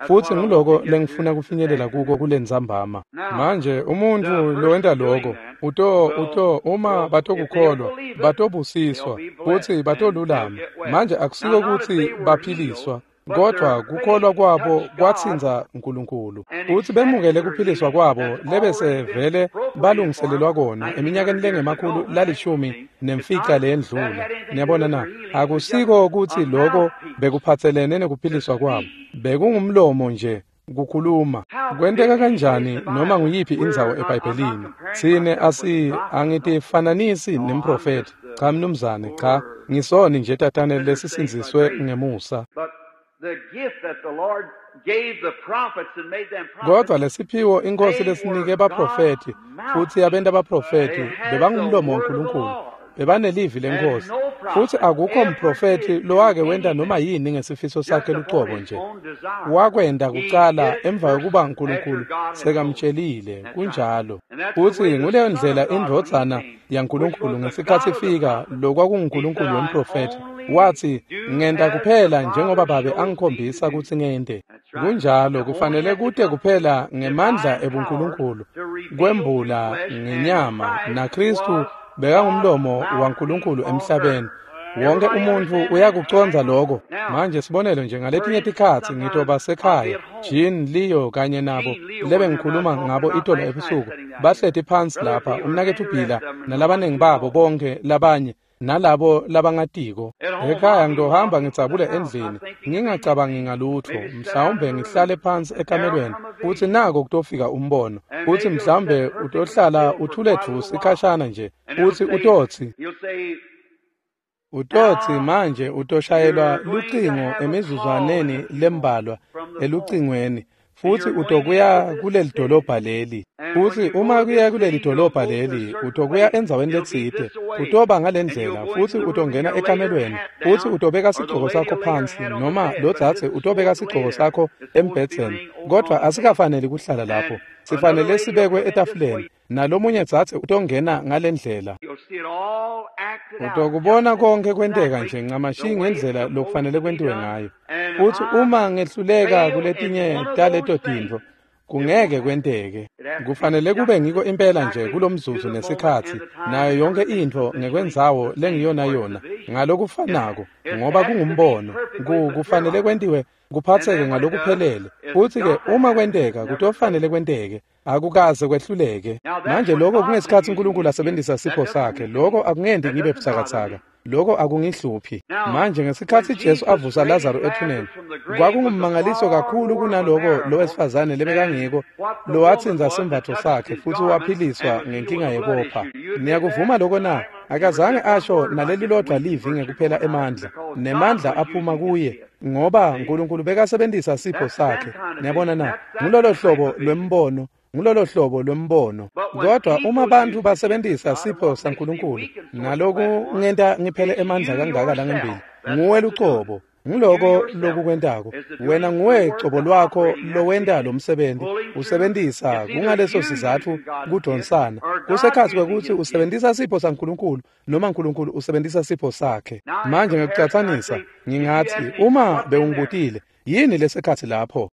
Futsi nguloko lengifuna kufinyelela kuko kulentsambama. Manje umuntfu lowenta loko uto uma batokukholwa batobusiswa futsi batolulama. Manje akusiko kutsi baphiliswa, kodwa kukholwa kwabo kwatsintsa uNkulunkulu. Futsi bemukele kuphiliswa kwabo lebese vele balungiselelwa kona eminyakeni le-115 leyendlula. Niyabona na? Akusiko kutsi loko bekuphatselene nekuphiliswa kwabo. Bekungumlomo nje kukhuluma. Kwenteka kanjani noma nguyiphi indzawo eBhayibhelini? Tsine angitifananisi nemprofethi. Cha mnumzane, cha, ngisoni nje tatane lesisindziswe ngemusa. Kodwa lesiphiwo iNkhosi lesinike baprofethi futsi yabenta baprofethi bebangumlomo waNkulunkulu, bebanelivi leNkhosi. Futsi akukho mprofethi lowake wenta noma yini ngesifiso sakhe lucobo nje. Wakwenta kucala emva kokuba uNkulunkulu sekamtshelile, kunjalo. Futsi nguleyo ndlela indvodzana yaNkulunkulu ngesikhatsi ifika lokwakunguNkulunkulu wemprofethi. Watsi, ngenta kuphela njengoba Babe angikhombisa kutsi ngente. Kunjalo, kufanele kute kuphela ngemandla ebuNkulunkulu kwembula ngenyama, naKhristu bekangumlomo waNkulunkulu emhlabeni. Wonke umuntfu uyakucondza lokho. Manje sibonelo nje, ngaletinye tikhatsi ngitoba sekhaya, Jean, Leo kanye nabo lebengikhuluma ngabo itolo ebusuku, bahleti phansi lapha, umnaketfu Bila nalabanengi babo bonke labanye nalabo labangatiko. Ekhaya ngitohamba ngidzabule endlini, ngingacabangi ngalutfo, mhlawumbe ngihlale phansi ekamelweni, futsi nako kutofika umbono, futsi mhlawumbe utohlala uthule dvu sikhashana nje, futsi utotsi manje utoshayelwa lucingo emizuzwaneni lembalwa elucingweni, futsi utokuya kuleli dolobha leli. Futsi uma kuya kuleli dolobha leli, utokuya endzaweni letsite, utoba ngalendlela, futsi utongena ekamelweni, futsi utobeka sigcoko sakho phansi, noma lodzadze utobeka sigcoko sakho embhedzeni. Kodwa asikafaneli kuhlala lapho, sifanele sibekwe etafuleni, nalomunye dzadze utongena ngalendlela. Utokubona konke kwenteka nje ncamashi ngendlela lokufanele kwentiwe ngayo. Futsi uma ngehluleka kuletinye taleto tintfo, kungeke kwenteke. Kufanele kube ngiko impela nje kulomzuzu nesikhatsi, nayo yonke intfo ngekwendzawo lengiyona yona, ngalokufanako, ngoba kungumbono. Kufanele kwentiwe kuphatseke ngalokuphelele. Futsi-ke uma kwenteka, kutofanele kwenteke. Akukaze kwehluleke. Manje lokho kungesikhatsi uNkulunkulu asebenzisa sipho sakhe. Lokho akungenti ngibe butsakatsaka. Lokho akungihluphi. Manje ngesikhatsi Jesu avusa Lazaro ethuneni, kwakungummangaliso kakhulu kunaloko lowesifazane lebekangiko lowatsinza sembatfo sakhe futsi waphiliswa ngenkinga yekopha. Niyakuvuma lokho na? Akazange asho nalelilodwa livi ngekuphela emandla, nemandla aphuma kuye, ngoba uNkulunkulu bekasebenzisa sipho sakhe. Niyabona na? Ngulolo hlobo lwembono. Ngulolo hlobo lwembono. Kodwa uma bantfu basebenzisa sipho saNkulunkulu, naloku ngenta ngiphele emandla kangaka langembili, nguwe lucobo. Nguloko lokukwentako. Wena nguwe cobo lwakho lowenta lo msebenzi. Usebenzisa kungaleso sizatfu kudonsana. Kusekhatsi kwekutsi usebenzisa sipho saNkulunkulu noma uNkulunkulu usebenzisa sipho sakhe. Manje ngekucatsanisa, ngingatsi uma bewungibutile, yini lesekhatsi lapho?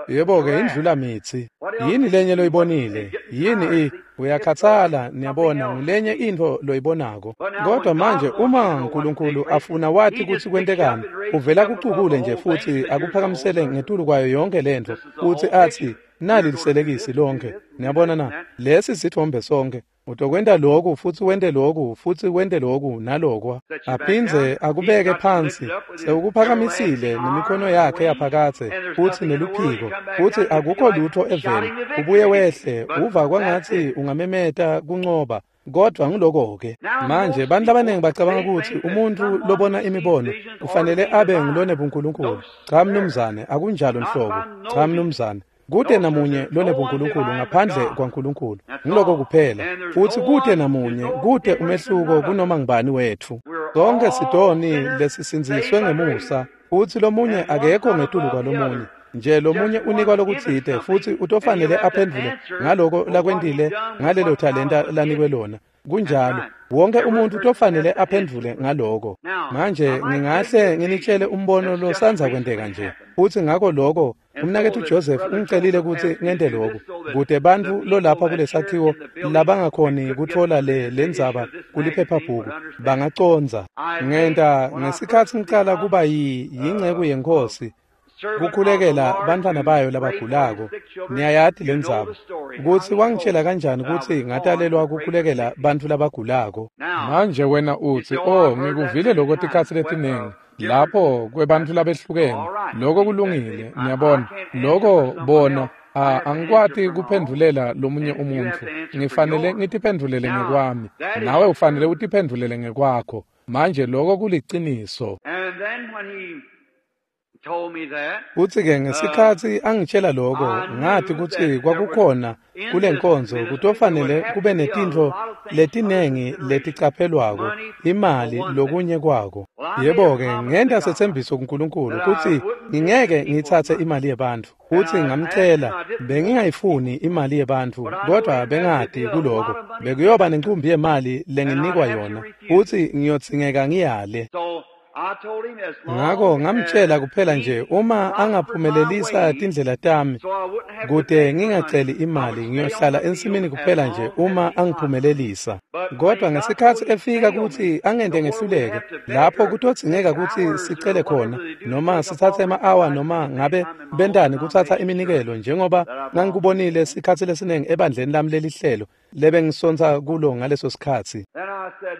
Yebo-ke, indlula mitsi. Yini lenye loyibonile? Yini uyakhathala, niyabona, ngulenye intfo loyibonako. Kodwa manje uma uNkulunkulu afuna wati kutsi kwentekani, uvela kucukule nje futsi akuphakamisele ngetulu kwayo yonke lentfo, futsi atsi, nali liselekisi lonke. Niyabona na? Lesi sithombe sonke. Utokwenta lokhu futhi wente lokhu futhi wente lokhu nalokwa. Aphindze akubeke phansi, sewukuphakamisile nemikhono yakhe yaphakathe futhi neluphiko, futhi akukho lutho eveni. Ubuye wehle, uva kwangathi ungamemeta kuncoba. Kodwa ngiloko-ke. Manje bantu abaningi bacabanga ukuthi umuntu lobona imibono ufanele abe ngulonebunkulunkulu. Cha mnumzane, akunjalo nhlobo. Cha mnumzane. Kude namunye lonebunkulunkulu ngaphandle kwaNkulunkulu. Ngiloko kuphela. Futhi kude namunye, kude umehluko kunoma ngubani wethu. Sonke sidoni lesisindziswe ngemusa, futhi lomunye akekho ngetulu kwalomunye. Nje lomunye unikwa lokutsite futhi utofanele aphendvule ngaloko lakwentile ngalelo talenta lanikwe lona. Kunjalo, wonke umuntu utofanele aphendvule ngaloko. Manje ngingahle nginitshele umbono losandza kwenteka nje. Futhi ngako lokho umnaketfu Joseph ungicelile ukuthi ngente lokhu kude bantfu lolapha kulesakhiwo labangakhoni kutfola le ndzaba kuliphephabhuku bangacondza. Ngenta ngesikhatsi ngicala kuba yinceku yeNkhosi kukhulekela bantfwana bayo labagulako. Niyayati lendzaba kutsi wangitshela kanjani kutsi ngatalelwa kukhulekela bantfu labagulako. Manje wena utsi, "Oh, ngikuvile lokho tikhatsi letiningi lapho kwebantfu labehlukene." Lokho kulungile, niyabona. Lokho bona angikwati kuphendvulela lomunye umuntfu. Ngifanele ngitiphendvulele ngekwami. Nawe ufanele utiphendvulele ngekwakho. Manje lokho kuliciniso. And then when he told me that, Futsi-ke ngesikhatsi angitshela lokho, ngati kutsi kwakukhona kulenkonzo kutofanele kube netintfo letinengi leticaphelwako, imali lokunye kwako. Yebo-ke, ngenta setsembiso kuNkulunkulu kutsi ngingeke ngitsatse imali yebantfu. Futsi ngamcela, bengingayifuni imali yebantfu, kodwa bengati kuloko bekuyoba nencumbi yemali lenginikwa yona, futsi ngiyodzingeka ngiyale. So I told him as long Ngako ngamtshela as kuphela he nje uma prospered my angaphumelelisa ways, tindlela tami so I wouldn't have to kude beg for money, ngingaceli I would imali, stay on ngiyohlala the field ensimini as kuphela nje long as uma he prospered. angiphumelelisa. But when Kodwa he got so ngesikhatsi he efika failed me, kutsi angente the more we'd ngehluleke, have to beg lapho or kutodzingeka take kutsi hours or sicele khona whatever they do to noma take up sitsatse offerings. ema-awa I noma spent many ngabe time in my own bentani kutsatsa denomination church iminikelo njengoba that I belonged to. ngangikubonile sikhatsi lesiningi ebandleni lami lelihlelo lebengisontsa kulo ngaleso sikhatsi. Then I said,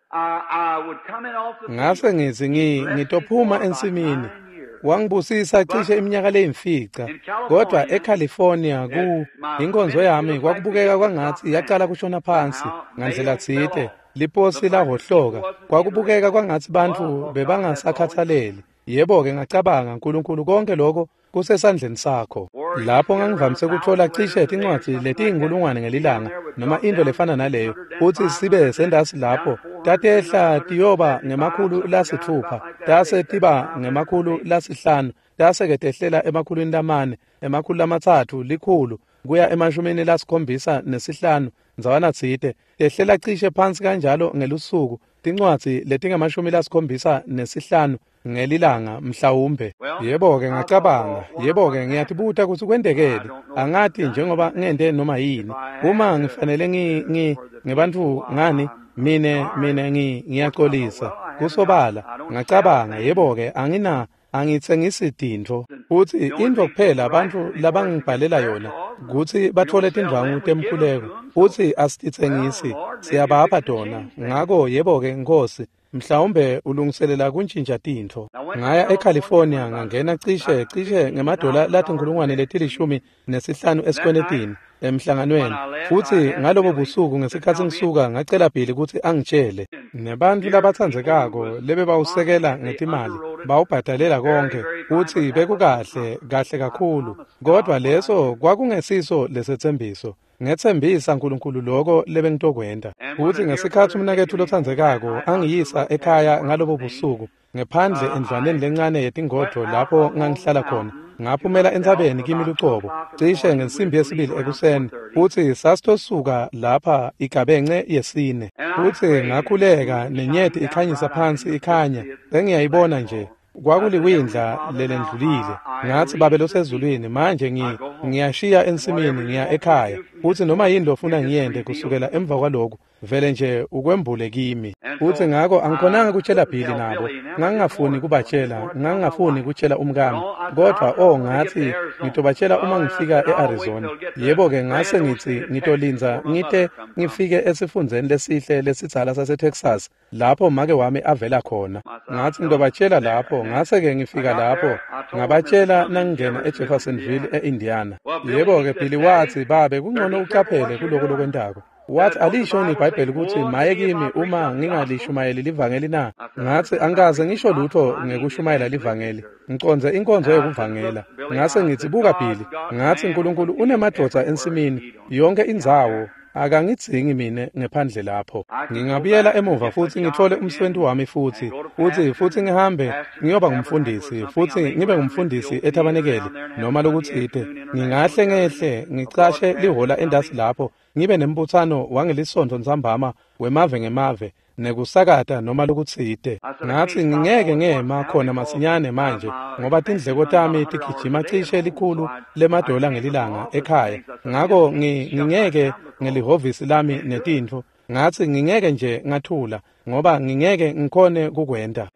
I would come in off the Ngase field. ngithi He blessed me for ngitophuma about ensimini. 9 years. Wangibusisa But cishe iminyaka leyimfica. in Kodwa California, eCalifornia ku my inkonzo ministry yami looked like kwakubukeka began to drop kwangathi yacala down. kushona phansi Somehow, ngandlela mail fell tsite. off. Liposi Looked like the people lahhohloka. wasn't Kwakubukeka interested. kwangathi Well, I bantfu thought, God, that's all in bebangasakhathaleli. Yebo-ke ngacabanga, Nkulunkulu konke lokho kusesandleni sakho. Or you Lapho get around ngangivamise a kutfola thousand cishe letters a day or tincwadzi something like that. letiyinkulungwane Down ngelilanga there would noma drop intfo down to lefana naleyo, 600, down futsi sibe 500, then sendasi down lapho to 400, tatehla 300, tiyoba 175, ngemakhulu something around lasitfupha, about like that. tase That's tiba 500 a ngemakhulu day. lasihlanu, tase-ke tehlela emakhulwini lamane, 300, 100 kuya 75 ndzawana tsite, tehlela cishe phansi kanjalo ngelusuku, tincwadzi letingama-75 ngelilanga mhlawumbe. Well, Yebo-ke I thought, ngacabanga, well, wonder yebo-ke what's happened. ngiyatibuta kutsi I kwentekeni. don't know if it's Angati done njengoba anything. ngente noma If yini. I Uma had ngifanele for the ngebantfu people, ngani, I'm mine sorry. mine Of course, I thought, ngiyacolisa. well, I haven't got, Kusobala, I don't sell ngacabanga, things. yebo-ke angina angitsengisi tintfo. And Futsi the only intfo thing kuphela people write bantfu to me for is to get labangibhalela prayer yona cloths, and kutsi we batfole don't sell tindvwangu them, we give them temkhuleko. to them. So, Futsi well, asititsengisi, Lord, maybe you're siyabapha fixing to tona. change things. Ngako yebo-ke Nkhosi, mhlawumbe ulungiselela kuntjintja tintfo. I went to Ngaya California, eCalifornia went about ngangena cishe about ngemadola $15,000 in latinkhulungwane debt. leti-15 That night, esikwenetini when emhlanganweni. I left, I Futsi asked ngalobo Billy busuku to ngesikhatsi tell me ngisuka ngacela Billy kutsi angitshele. and Nebantfu dear people who labatsandzekako was lebebawusekela sponsoring, they ngetimali underwrote it bawubhadalela very, konke, very fine, futsi but that wasn't the bekukahle promise. kahle I kakhulu. promised Kodwa God what I leso would. kwakungesiso lesetsembiso. Ngetsembisa Nkulunkulu loko lebengitokwenta. And when Futsi a dear ngesikhatsi brother umnaketfu taken me home that lotsandzekako night, I threw a angiyisa little ekhaya passport on ngalobo the thing. busuku, ngephandle endlwaneni I lencane went yetingodvo out lapho up on the ngangihlala khona. mountain to Ngaphumela myself entsabeni kimi about 2 lucobo, o'clock in the cishe morning. We ngensimbi was to leave yesibili around ekuseni, 4:30. futsi sasitosuka lapha igabence yesine. And I Futsi prayed, and the ngakhuleka moon shining nenyeti down ikhanyisa bright. I could phansi look up ikhanya, and see it sengiyayibona flash nje. all. I said, Heavenly Kwakuliwindla Father, now lelendlulile. I Ngatsi Babe leave the field. losezulwini, manje I go home. ngiyashiya And ensimini whatever you ngiya want me to ekhaya. do from Futsi noma henceforth, yini you lofuna just ngiyente reveal kusukela to me. emva kwaloku, Vele nje ukwembule kimi. Futsi ngako angikhonanga kutjela Billy nabo. Ngangingafuni kubatjela, ngangingafuni kutjela umkami. Kodvwa ngathi ngitobatjela uma ngifika e-Arizona. Yebo-ke ngase ngitsi ngitolindza ngite ngifike esifundzeni lesihle lesidzala saseTexas lapho make wami avela khona. Ngathi ngitobatjela lapho, ngase-ke ngifika lapho ngabatjela nangingena eJeffersonville e-Indiana. Yebo-ke Billy watsi, babe kungcono ucaphele kuloko lokwentako. Wathi alisho iBhayibheli ukuthi maye kimi uma ngingalishumayeli livangeli na? Ngathi angikaze ngisho lutho ngekushumayela livangeli. Ngicondze inkonzo yokuvangela. Ngase ngithi buka Billy, ngathi uNkulunkulu unemadvodza ensimini yonke indzawo. Akangidzingi mine ngephandle lapho. Ngingabuyela emuva futhi ngithole umsebenzi wami futhi ngihambe ngiyoba ngumfundisi futhi ngibe ngumfundisi ethabanekeli noma lokutsite. Ngingahle ngehle ngicashe lihola endasi lapho ngibe nembutsano wangelisonto ntsambama wemave ngemave nekusakata noma lokutsite. Ngathi ngingeke ngema khona masinyane manje ngoba tindleko tami tigijima cishe likhulu lemadola ngelilanga ekhaya. Ngako ngingeke ngelihhovisi lami netintfo. Ngathi ngingeke nje ngathula ngoba ngingeke ngikhone kukwenta.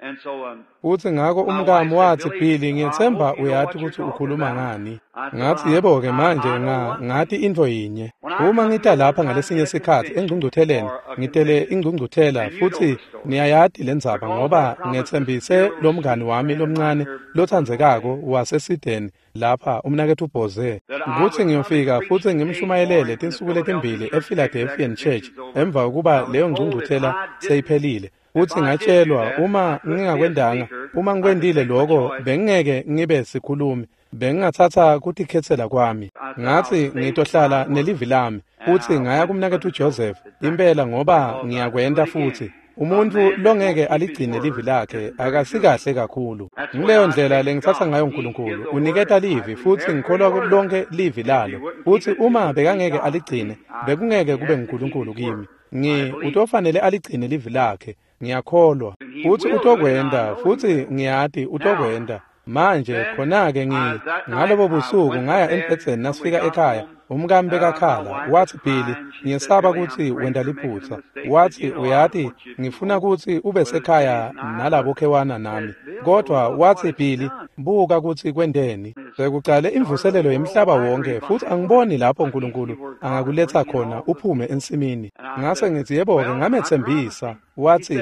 Futsi ngako umkami watsi, Billy, ngiyetsemba uyati kutsi ukhuluma ngani. Ngathi yebo-ke manje ngathi intfo yinye. Uma ngita lapha ngalesinye sikhatsi engcungcutheleni, ngitele ingcungcuthela futsi niyayati lendzaba ngoba ngetsembise lomngani wami lomncane lotsandzekako waseSideni lapha umnaketfu Boze kutsi ngiyofika futsi ngimshumayelele tinsuku letimbili ePhiladelphia Church emva kokuba leyo ngcungcuthela seyiphelile. Futsi ngatshelwa uma ngingakwendanga, uma ngikwendile lokho bengingeke ngibe sikhulumi, bengingatsatsa kutikhetsela kwami. Ngathi ngitohlala nelivi lami futsi ngaya kumnaketfu Joseph impela ngoba ngiyakwenta futhi. Umuntu longeke aligcine livi lakhe akasikahle kakhulu. Ngileyo ndlela lengitsatsa ngayo uNkulunkulu. Uniketa livi futsi ngikholwa lonke livi lalo. Futsi uma bekangeke aligcine, bekungeke kube nguNkulunkulu kimi. Utofanele aligcine livi lakhe. Ngiyakholwa. Futsi utokwenta, futsi ngiyati utokwenta. Manje khona-ke ngalobo busuku ngaya embhedzeni nasifika ekhaya. Umkami bekakhala, watsi Billy, ngiyesaba kutsi wenta liphutsa. Watsi uyati ngifuna kutsi ube sekhaya nalabo khewana nami. Kodwa watsi Billy, buka kutsi kwenteni. Sekucale imvuselelo yemhlaba wonke futsi angiboni lapho uNkulunkulu angakuletsa khona uphume ensimini. Ngase ngithi yebo-ke ngametsembisa. Watsi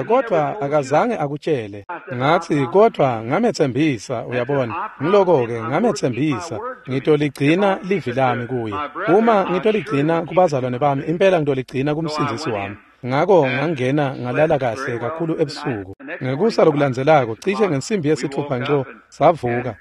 kodwa akazange akutshele. Ngathi kodwa ngametsembisa, uyabona. Ngiloko-ke ngametsembisa ngitoligcina livi lami kuye. Uma ngitoligcina kubazalwane bami, impela ngitoligcina kumsindzisi wami. Ngako ngangena ngalala kahle kakhulu ebusuku. Ngekusa lokulandzelako cishe ngensimbi yesithupha nco savuka.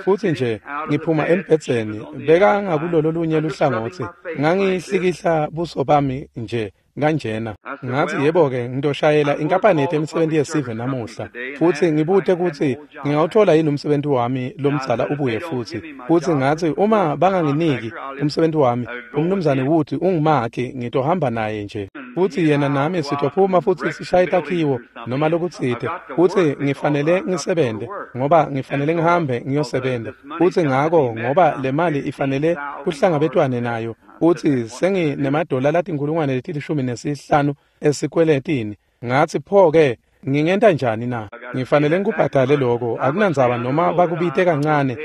Futsi nje ngiphuma embhedzeni bekangakulolo lunye luhlangotsi. Ngangihlikihla buso bami nje kanjena. Ngathi yebo-ke ngitoshayela inkampani yetemisebenti yesive namuhla futsi ngibute kutsi ngingawuthola yini umsebenzi wami lomdzala ubuye futhi. Futsi ngathi uma banganginiki umsebenzi wami, umnumzane Wood ungumakhi, ngitohamba naye nje. Futsi yena nami sitophuma futsi sishaye takhiwo noma lokutsite. Futsi ngifanele ngisebente ngoba ngifanele ngihambe ngiyosebenta. Futsi ngako ngoba le mali ifanele kuhlangabetwane nayo. Futsi senginemadola latinkhulungwane leti-15 esikweletini. Ngathi pho-ke ngingenta njani na? Ngifanele ngikubhadale lokho, akunandzaba noma bakubite kancane,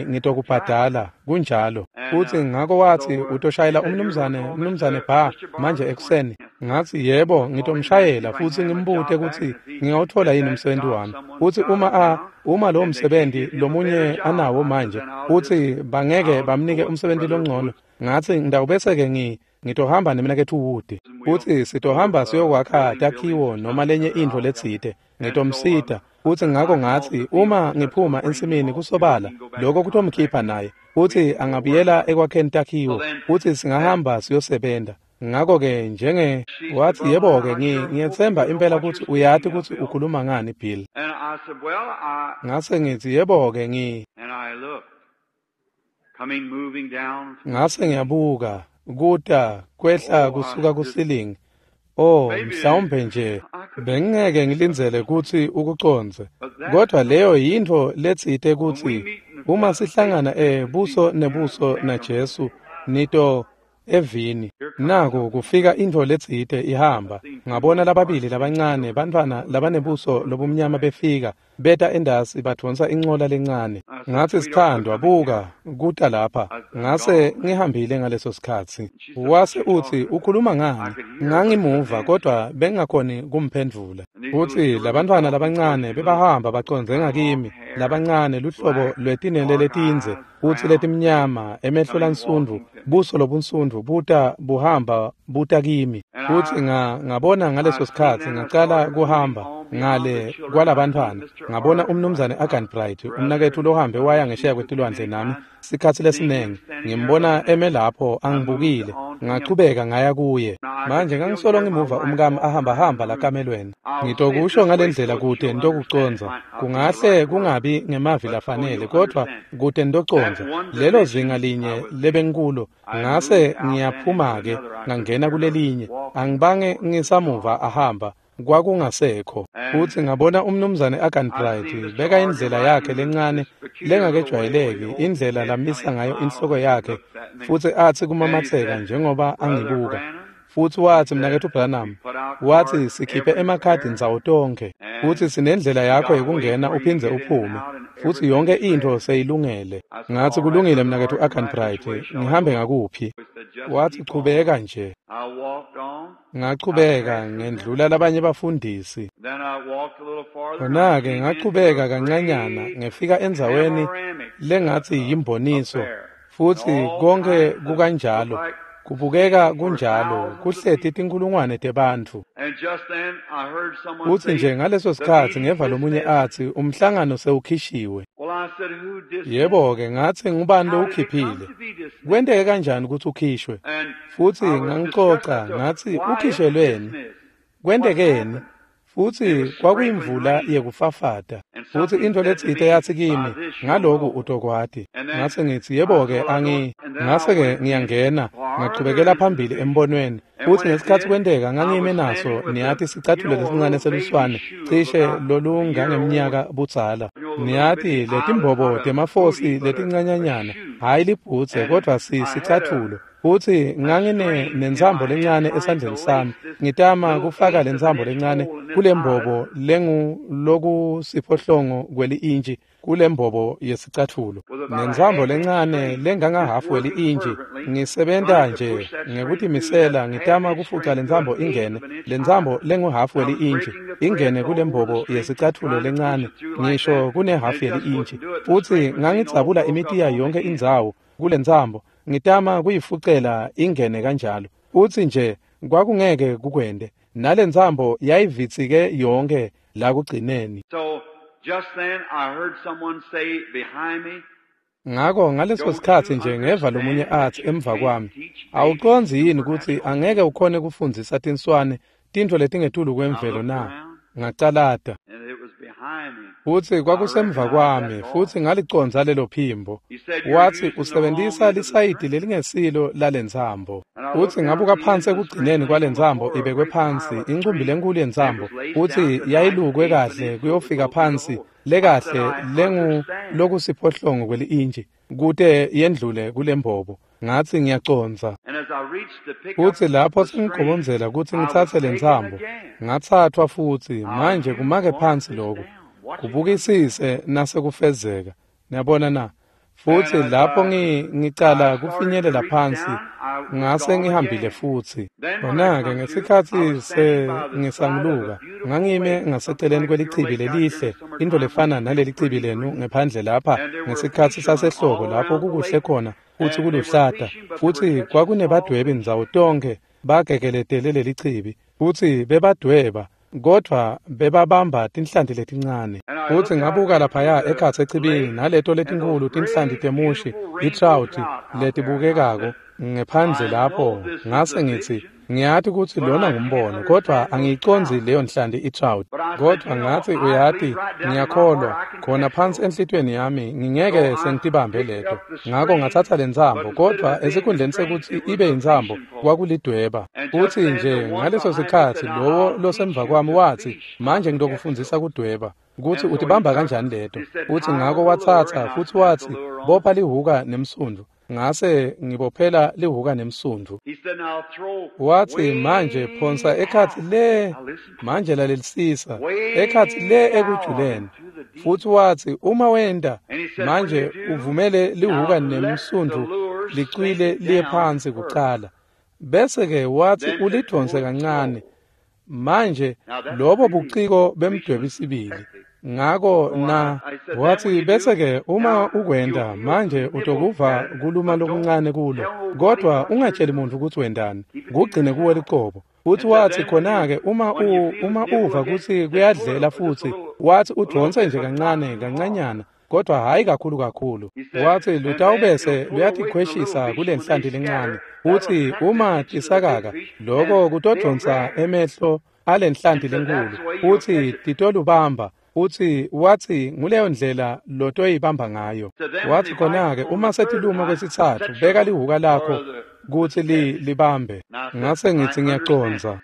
ngitokubhadala, kunjalo. Futsi ngako watsi utoshayela umnumzane Ba manje ekuseni. Ngathi yebo, ngitomshayela futsi ngimbute kutsi ngingawuthola yini umsebenzi wami. Futsi uma lowo msebenzi lomunye anawo manje, futsi bangeke bamnike umsebenzi longcono. Ngathi ngitawubese-ke ngitohamba nemnaketfu Wood. Futsi sitohamba siyokwakha takhiwo noma lenye intfo letsite. Ngitomsita. Futsi ngako ngathi uma ngiphuma ensimini kusobala, lokho kutomkhipha naye. Futsi angabuyela ekwakheni takhiwo. Futsi singahamba siyosebenta. Ngako-ke wathi yebo-ke ngiyetsemba impela kutsi uyati kutsi ukhuluma ngani Bill. Ngase ngithi yebo-ke Ngase ngiyabuka kuta kwehla kusuka kusilingi. Mhlawumbe nje bengingeke ngilindzele kutsi ukucondze. Kodwa leyo yintfo letsite kutsi uma sihlangana buso nebuso naJesu nito evini. Naku kufika intfo letsite ihamba. Ngabona lababili labancane bantfwana labanebuso lobumnyama befika, beta endasi badvonsa incola lencane. Ngatsi, "Sithandwa, buka, kuta lapha." Ngase ngihambile ngaleso sikhatsi. Wase utsi, "Ukhuluma ngani?" Ngangimuva kodvwa bengingakhoni kumphendvula. Futsi labantfwana labancane bebahamba bacondze ngakimi, labancane luhlobo lwetinwele letindze, futsi letimnyama, emehlo lansundvu, buso lobunsundvu buta buhamba buta kimi. Futsi ngabona ngaleso sikhatsi ngacala kuhamba ngale kwalabantfwana. Ngabona umnumzane Arganbright, umnaketfu lohambe waya ngesheya kwetilwandle nami sikhatsi lesinengi. Ngimbona eme lapho angibukile. Ngachubeka ngaya kuye. Manje ngangisolo ngimuva umkami ahambahamba lakamelweni. Ngitokusho ngalendlela kute nitokucondza. Kungahle kungabi ngemavi lafanele, kodvwa kute nitocondza. Lelo zinga linye lebenkulo, ngase ngiyaphuma-ke ngangena kulelinye. Angibange ngisamuva ahamba. Kwakungasekho. Futsi ngabona umnumzane Arganbright beka indlela yakhe lencane lengakejwayeleki, indlela lamisa ngayo inhloko yakhe, futsi atsi kumamatseka njengoba angibuka. Futsi watsi, "Mnaketfu Branham," watsi, "sikhiphe emakhadi ndzawo tonkhe, futsi sinendlela yakho yekungena uphindze uphume, futsi yonkhe intfo seyilungele." Ngatsi, "Kulungile, Mnaketfu Arganbright, ngihambe ngakuphi?" Watsi, "Chubeka nje." Ngachubeka ngendlula labanye bafundisi. Khona-ke ngachubeka kancanyana ngefika endzaweni lengatsi yimboniso, futsi konkhe kukanjalo, kubukeka kunjalo, kuhleti tinkhulungwane tebantfu. Futsi nje ngaleso sikhatsi ngeva lomunye atsi, "Umhlangano sewukhishiwe." Yebo-ke, ngatsi, "Ngubani lowukhiphile? Kwenteke kanjani kutsi ukhishwe?" Futsi ngangicoca ngatsi, "Ukhishelweni? Kwentekeni?" Futsi kwakuyimvula yekufafata. Futsi intfo letsite yatsi kimi, "Ngaloku utokwati." Ngase ngitsi, "Yebo-ke, ngase-ke ngiyangena, ngachubekela phambili embonweni. Futsi ngesikhatsi kwenteka ngangime naso, niyati, sicatfulo lesincane seluswane, cishe lolungangemnyaka budzala. Niyati, letimbobo temafosi letincanyanyana, hhayi libhutse, kodvwa sicatfulo. Futsi ngangine nentsambo lencane esandleni sami, ngitama kufaka lentsambo lencane kulembobo lengulokusiphohlongo kweli-intshi kulembobo yesicatfulo. Nentsambo lencane lengangahhafu weli-intshi, ngisebenta nje ngekutimisela ngitama kufuca lentsambo ingene, lentsambo lenguhhafu weli-intshi ingene kulembobo yesicatfulo lencane, ngisho kunehhafu yeli-intshi. Futsi ngangidzabula imitiya yonkhe indzawo kulentsambo, ngitama kuyifucela ingene kanjalo. Futsi nje kwakungeke kukwente, nalentsambo yayivitsike yonkhe la kugcineni. Ngako ngaleso sikhatsi nje ngeva lomunye atsi emva kwami, "Awucondzi yini kutsi angeke ukhone kufundzisa tinswane tintfo letingetulu kwemvelo na?" Ngacalata. Futsi kwakusemva kwami, futsi ngalicondza lelo phimbo. Watsi, "Usebentisa lisayidi lelingesilo lalentsambo." Futsi ngabuka phansi ekugcineni kwalentsambo ibekwe phansi, incumbi lenkulu yentsambo, futsi yayilukwe kahle kuyofika phansi lekahle lengulokusiphohlongo kweli-intshi, kute yendlule kulembobo. Ngatsi, "Ngiyacondza." Futsi lapho sengigobondzela kutsi ngitsatse lentsambo, ngatsatfwa futsi. Manje kumake phansi lokhu, kubukisise nasekufezeka. Niyabona na? Futsi lapho ngicala kufinyelela phansi, ngase ngihambile futsi. Khona-ke ngesikhatsi sengisanguluka, ngangime ngaseceleni kwelichibi lelihle, intfo lefana nalelichibi lenu ngephandle lapha ngesikhatsi sasehlobo lapho kukuhle khona futsi kuluhlata. Futsi kwakunebadwebi ndzawo tonkhe bagegeletele lelichibi, futsi bebadweba, kodvwa bebabamba tinhlanti letincane. Futsi ngabuka laphaya ekhatsi echibini naleto letinkhulu tinhlanti temushi, i-trout letibukekako ngephandle lapho. Ngase ngitsi, "Ngiyati kutsi lona ngumbono, kodvwa angiyicondzi leyo nhlanti i-trout." Kodvwa ngatsi, "Uyati, ngiyakholwa khona phansi enhlitiyweni yami ngingeke sengitibambe leto." Ngako ngatsatsa lentsambo, kodvwa esikhundleni sekutsi ibe yintsambo kwakulidweba. Futsi nje ngaleso sikhatsi lowo losemva kwami watsi, "Manje ngitokufundzisa kudweba, kutsi utibamba kanjani leto." Futsi ngako watsatsa futsi watsi, "Bopha lihuka nemsundvu." Ngase ngibophela lihuka nemsundvu. Wathi, manje phonsa ekhatsi le, manje lalelisisa, ekhatsi le ekujuleni. Futhi wathi, uma wenta, manje uvumele lihuka nemsundvu licwile liye phansi kucala. Bese-ke wathi ulidonse kancane. Manje lobo buciko bemdwebi sibili. Ngako na wathi bese-ke uma ukwenta manje utokuva kuluma lokuncane kulo, kodwa ungatsheli muntu ukuthi wendani, kugcine kuwe liqobo. Futhi wathi khona-ke uma uva kutsi kuyadlela futhi, wathi udonse nje kancane kancanyana, kodwa hhayi kakhulu kakhulu. Wathi lutawubese luyatikhweshisa kule nhlanti lencane. Uthi uma tisakaka loko kutodonsa emehlo ale nhlanti lenkulu, uthi titolubamba. Uthi wathi nguleyo ndlela lotoyibamba ngayo. Wathi khona-ke uma setiluma kwesitsatfu, beka lihuka lakho kutsi libambe. Ngase ngithi ngiyacondza.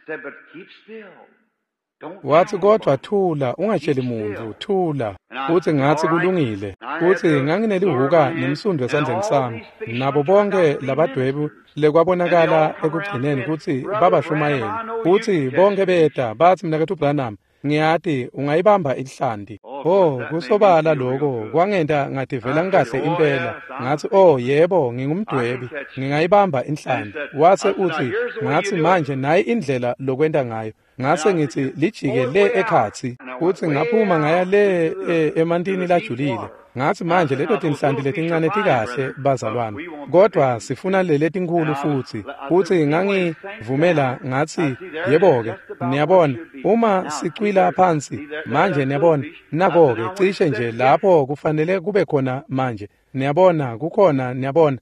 Wathi kodwa thula, ungatsheli muntu, thula. Uthi ngathi kulungile. Uthi nganginelihuka nemsundvu esandleni sami. Nabo bonke labadwebi lekwabonakala ekugcineni kutsi babashumayeli. Uthi bonke beta bathi mnaketfu Branham, ngiyati ungayibamba inhlanti. Oh, kusobala lokho kwangenta ngativela ngikahle impela. Ngathi oh yebo, ngingumdwebi, ngingayibamba inhlanti. Wase uthi ngathi manje nayi indlela lokwenta ngayo. Ngase ngithi lijike le ekhatsi. Uthi ngaphuma ngaya le emantini lajulile. Ngathi manje leto tinhlanti letincane tikahle bazalwane, kodwa sifuna leletinkulu futhi. Uthi ngangivumela ngathi yebo-ke, niyabona uma sicwila phansi manje, niyabona nako-ke cishe nje lapho kufanele kube khona manje, niyabona kukhona, niyabona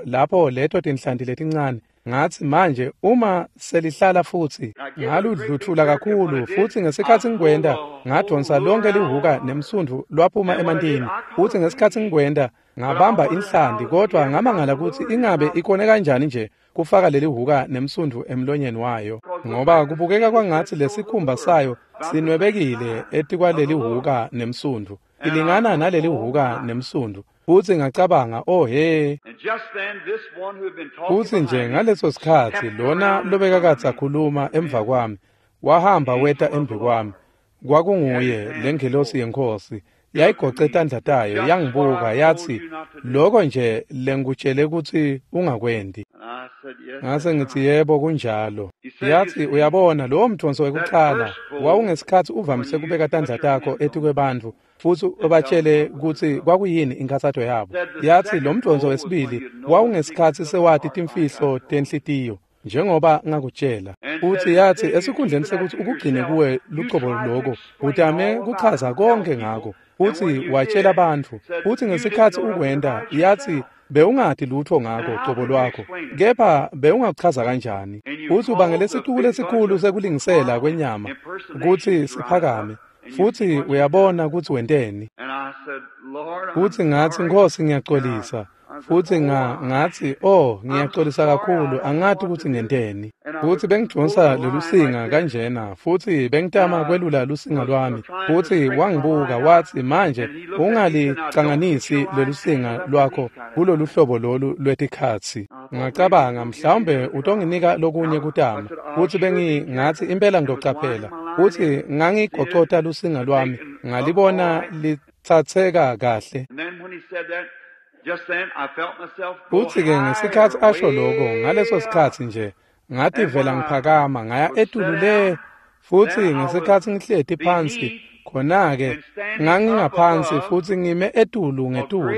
lapho leto tinhlanti letincane. Ngathi manje uma selihlala futhi ngaludluthula kakhulu, futhi ngesikhathi ngikwenda ngadonsa lonke lihuka nemsundvu lwaphuma emantini. Futhi ngesikhathi ngikwenda ngabamba inhlanti, kodwa ngamangala ukuthi ingabe ikone kanjani nje kufaka leli huka nemsundvu emlonyeni wayo, ngoba kubukeka kwangathi lesikhumba sayo sinwebekile etikwaleli huka nemsundvu, ilingana naleli huka nemsundvu. Futhi ngacabanga, oh he. Futhi nje ngaleso sikhathi lona lobekakadze akhuluma emva kwami wahamba weta embi kwami. Kwakunguye lengelosi yeNkhosi, yayigoce tandla tayo yangibuka yathi, lokho nje lengikutshele kutsi ungakwendi. Ngase ngithi yebo kunjalo. Yathi uyabona lowo mdonso wekucala wawungesikhathi uvamise kubeka tandla takho etikwebantfu futhi ubatshele kutsi kwakuyini inkhatsato yabo. Yathi lo mdonso wesibili wawungesikhathi sewati timfihlo tenhlitiyo njengoba ngakutshela. Uthi yathi esikhundleni sekuthi ukugcine kuwe lucobo loko, utame kuchaza konke ngako. Uthi watshela abantu. Uthi ngesikhathi ukwenda, yathi bewungati lutho ngako cobo lwakho, kepha bewungakuchaza kanjani? Uthi ubangele isixuku lesikhulu sekulingisela kwenyama kutsi siphakame, futhi uyabona kutsi wenteni. Uthi ngathi Nkhosi ngiyaxolisa. Futhi ngathi oh ngiyaxolisa kakhulu, angati ukuthi ngenteni. Futhi bengidonsa lolusinga kanjena, futhi bengitama kwelula lusinga lwami. Futhi wangibuka wathi manje ungalicanganisi lolusinga lwakho kulolu hlobo lolu lwetikhatsi. Ngacabanga mhlawumbe utonginika lokunye kutama. Futhi bengingathi impela ngiyocaphela. Futhi ngangigocota lusinga lwami, ngalibona litsatseka kahle. Futhi-ke ngesikhathi asho lokho, ngaleso sikhathi nje ngativela ngiphakama ngaya etulu le. Futhi ngesikhathi ngihleti phansi khona-ke ngangingaphansi futhi ngime etulu ngetulu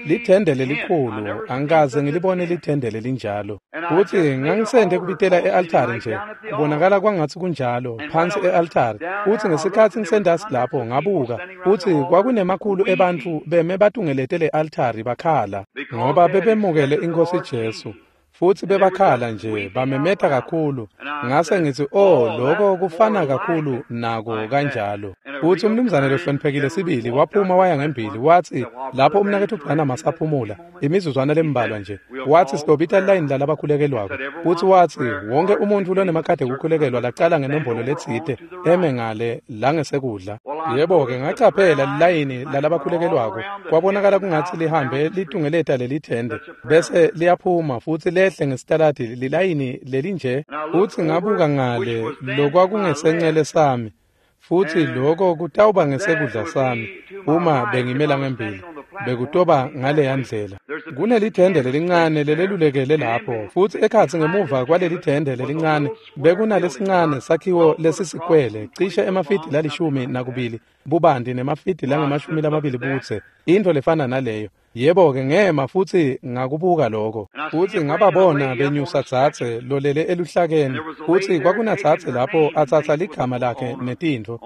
lithende lelikhulu, angikaze ngilibone lithende lelinjalo. Futhi ngangisende kubitela e-altari nje, kubonakala kwangathi kunjalo phansi e-altari. Futhi ngesikhathi ngisendasi lapho ngabuka, futhi kwakunemakhulu ebantfu beme batungelete le-altari bakhala, ngoba bebemukele iNkhosi Jesu. Futhi bebakhala nje bamemeta kakhulu. Ngase ngithi oh lokho kufana kakhulu nako kanjalo. Futhi umnumzane lohloniphekile sibili waphuma waya ngembili, wathi lapho umnaketfu Branham asaphumula imizuzwana lembalwa nje, wathi sitobita line lalabakhulekelwako. Futhi wathi wonke umuntu lonemakhadi ekukhulekelwa lacala ngenombolo letsite eme ngale la ngesekudla. Yebo-ke, ngacaphela lilayini lalabakhulekelwako. Kwabonakala kungatsi lihambe litungeleta lelithende, bese liyaphuma futsi lehle ngesitaladi lilayini lelinje. Futsi ngabuka ngale lokwakungesencele sami, futsi loko kutawuba ngesekudla sami uma bengimela ngembili, bekutoba ngaleya ndlela. Kunelithende lelincane lelelulekele lapho, futsi ekhatsi ngemuva kwalelithende lelincane bekunalesincane sakhiwo lesisikwele, cishe emafidi 12 bubanti nemafidi langama-20 budze, intfo lefana naleyo. Yebo-ke, ngema futsi ngakubuka lokho, futsi ngababona benyusa dzadze lolele eluhlakeni, futsi kwakunadzadze lapho atsatsa ligama lakhe netintfo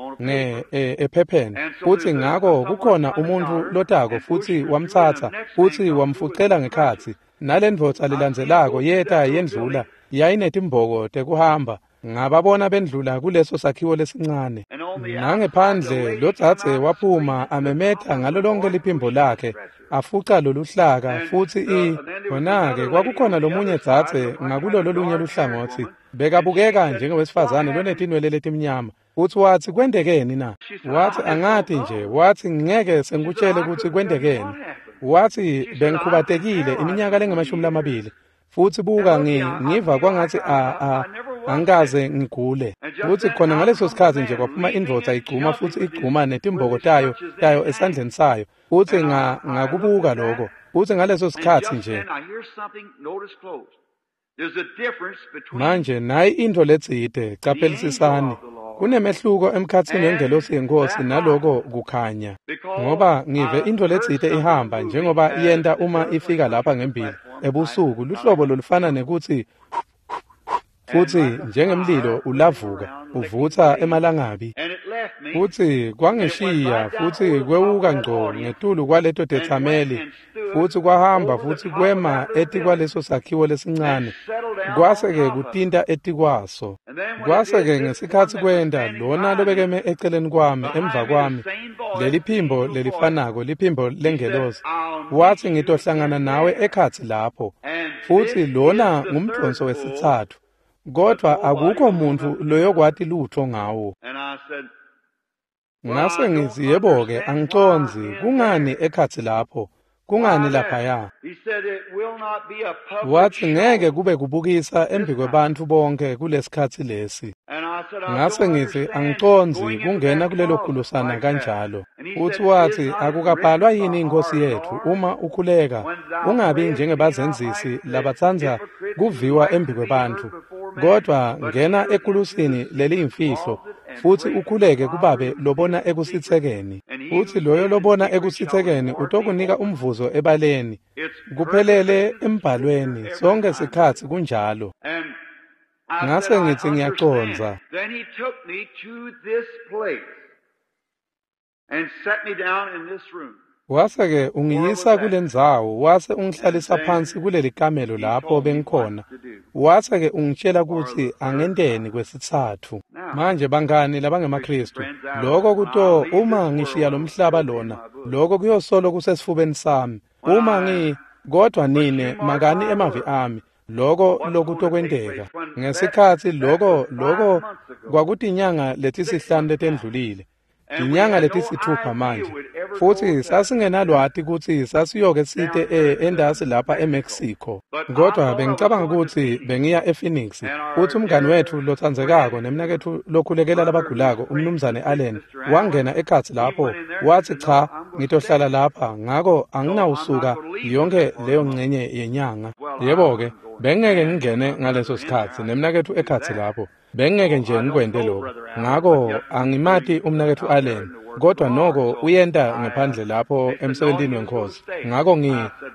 ephepheni, futsi ngako kukhona umuntfu lotako futsi wamtsatsa futsi wamfucela ngekhatsi. Nalendvodza lelandzelako yeta yendlula, yayinetimboko tekuhamba. Ngababona bendlula kuleso sakhiwo lesincane. Nangephandle lodzadze waphuma amemeta ngalo lonke liphimbo lakhe, afuca loluhlaka, futsi khona-ke kwakukhona lomunye dzadze ngakulolo lunye luhlangotsi, bekabukeka njengewesifazane lonetinwele letimnyama. Futsi watsi, kwentekeni na? Watsi, angati nje. Watsi, ngeke sengikutshele kutsi kwentekeni. Watsi, bengikhubatekile iminyaka lengama-20. Futsi buka, ngiva kwangatsi angikaze ngigule. Futsi khona ngaleso sikhatsi nje kwaphuma indvodza igcuma futsi igcuma netimboko tayo esandleni sayo. Futsi ngakubuka lokho. Futsi ngaleso sikhatsi nje. Manje nayi intfo letsite, caphelisisani. Kunemehluko emkhatsini wengelosi yeNkhosi naloko kukhanya. Ngoba ngive intfo letsite ihamba njengoba yenta uma ifika lapha ngembili ebusuku, luhlobo lolufana nekutsi futsi njengemlilo ulavuka uvutsa emalangabi. Futsi kwangishiya futsi kwewuka ngco ngetulu kwaleto tetsameli, futsi kwahamba futsi kwema etikwaleso sakhiwo lesincane, kwase-ke kutinta etikwaso. Kwase-ke ngesikhatsi kwenta, lona lobekeme eceleni kwami emva kwami, leliphimbo lelifanako, liphimbo lengelosi, watsi, ngitohlangana nawe ekhatsi lapho. Futsi lona ngumdonso wesitsatfu, kodvwa akukho muntfu loyokwati lutfo ngawo. Ngase ngitsi, yebo-ke, angicondzi, kungani ekhatsi lapho? Kungani laphaya? Watsi, ngeke kube kubukisa embikwebantfu bonke kulesikhatsi lesi. Ngase ngitsi, angicondzi kungena kulelo kulusana kanjalo. Futsi watsi, akukabhalwa yini iNkhosi yetfu uma ukhuleka, ungabi njengebazenzisi labatsandza kuviwa embikwebantfu, kodvwa ngena ekulusini leliyimfihlo futsi ukhuleke kuBabe lobona ekusitsekeni. Futsi loyo lobona ekusitsekeni utokunika umvuzo ebaleni. Kuphelele embhalweni, sonke sikhatsi kunjalo. Ngase ngitsi, ngiyacondza. Wase-ke ungiyisa kulendzawo, wase ungihlalisa phansi kuleli kamelo lapho bengikhona. Wase-ke ungitshela kutsi angenteni kwesitsatfu. Manje bangani labangemaKhristu, lokho kuto uma ngishiya lomhlaba lona, lokho kuyosolo kusesifubeni sami. Uma kodwa nine makani emavi ami, lokho lokutokwenteka. Ngesikhatsi lokho kwakutinyanga letisihlanu letendlulile. Tinyanga letisithupha manje, futsi sasingenalwati kutsi sasiyoke site endasi lapha eMexico. Kodwa bengicabanga kutsi bengiya ePhoenix, futsi umngani wetfu lotsandzekako nemnaketfu lokhulekela labagulako, umnumzane Allen, wangena ekhatsi lapho, watsi, cha, ngitohlala lapha, ngako anginawusuka yonke leyo ngcenye yenyanga. Yebo-ke, bengeke ngingene ngaleso sikhatsi nemnaketfu ekhatsi lapho. Bengeke nje ngikwente lokho. Ngako angimati umnaketfu Allen, kodwa noko uyenta ngephandle lapho emsebentini weNkhosi. Ngako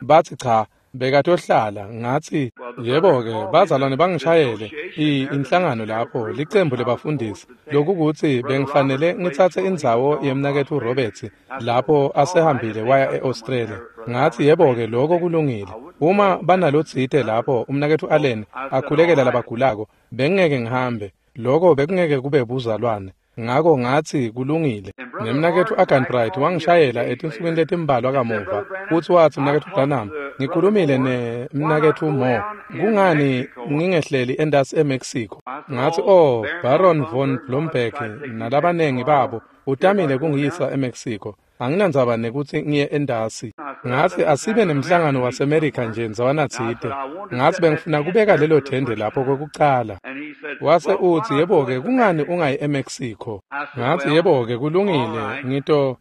bathi cha, bekatohlala. Ngatsi, yebo-ke, bazalwane bangishayele inhlangano lapho, licembu lebafundisi, lokukutsi bengifanele ngitsatse indzawo yemnaketfu Roberts lapho asehambile waya e-Australia. Ngatsi, yebo-ke, lokho kulungile. Uma banalotsite lapho umnaketfu Allen akhulekela labagulako, bengeke ngihambe. Lokho bekungeke kube buzalwane. Ngako ngatsi kulungile. Nemnaketfu Arganbright wangishayela etinsukwini letimbalwa kamuva, futsi watsi, mnaketfu Branham, Ngikhulumile nemnaketfu Moore. Kungani ngingehleli entasi eMexico? Ngathi, "Oh, Baron von Blomberg nalabanengi babo utamile kungiyisa eMexico. Anginandzaba nekutsi ngiye entasi." Ngathi, "Asibe nemhlangano waseMerica nje ndzawana tsite." Ngathi, "Bengifuna kubeka lelo thende lapho kwekucala." Wase utsi, "Yebo-ke, kungani ungayi eMexico?" Ngathi, "Yebo-ke, kulungile, ngito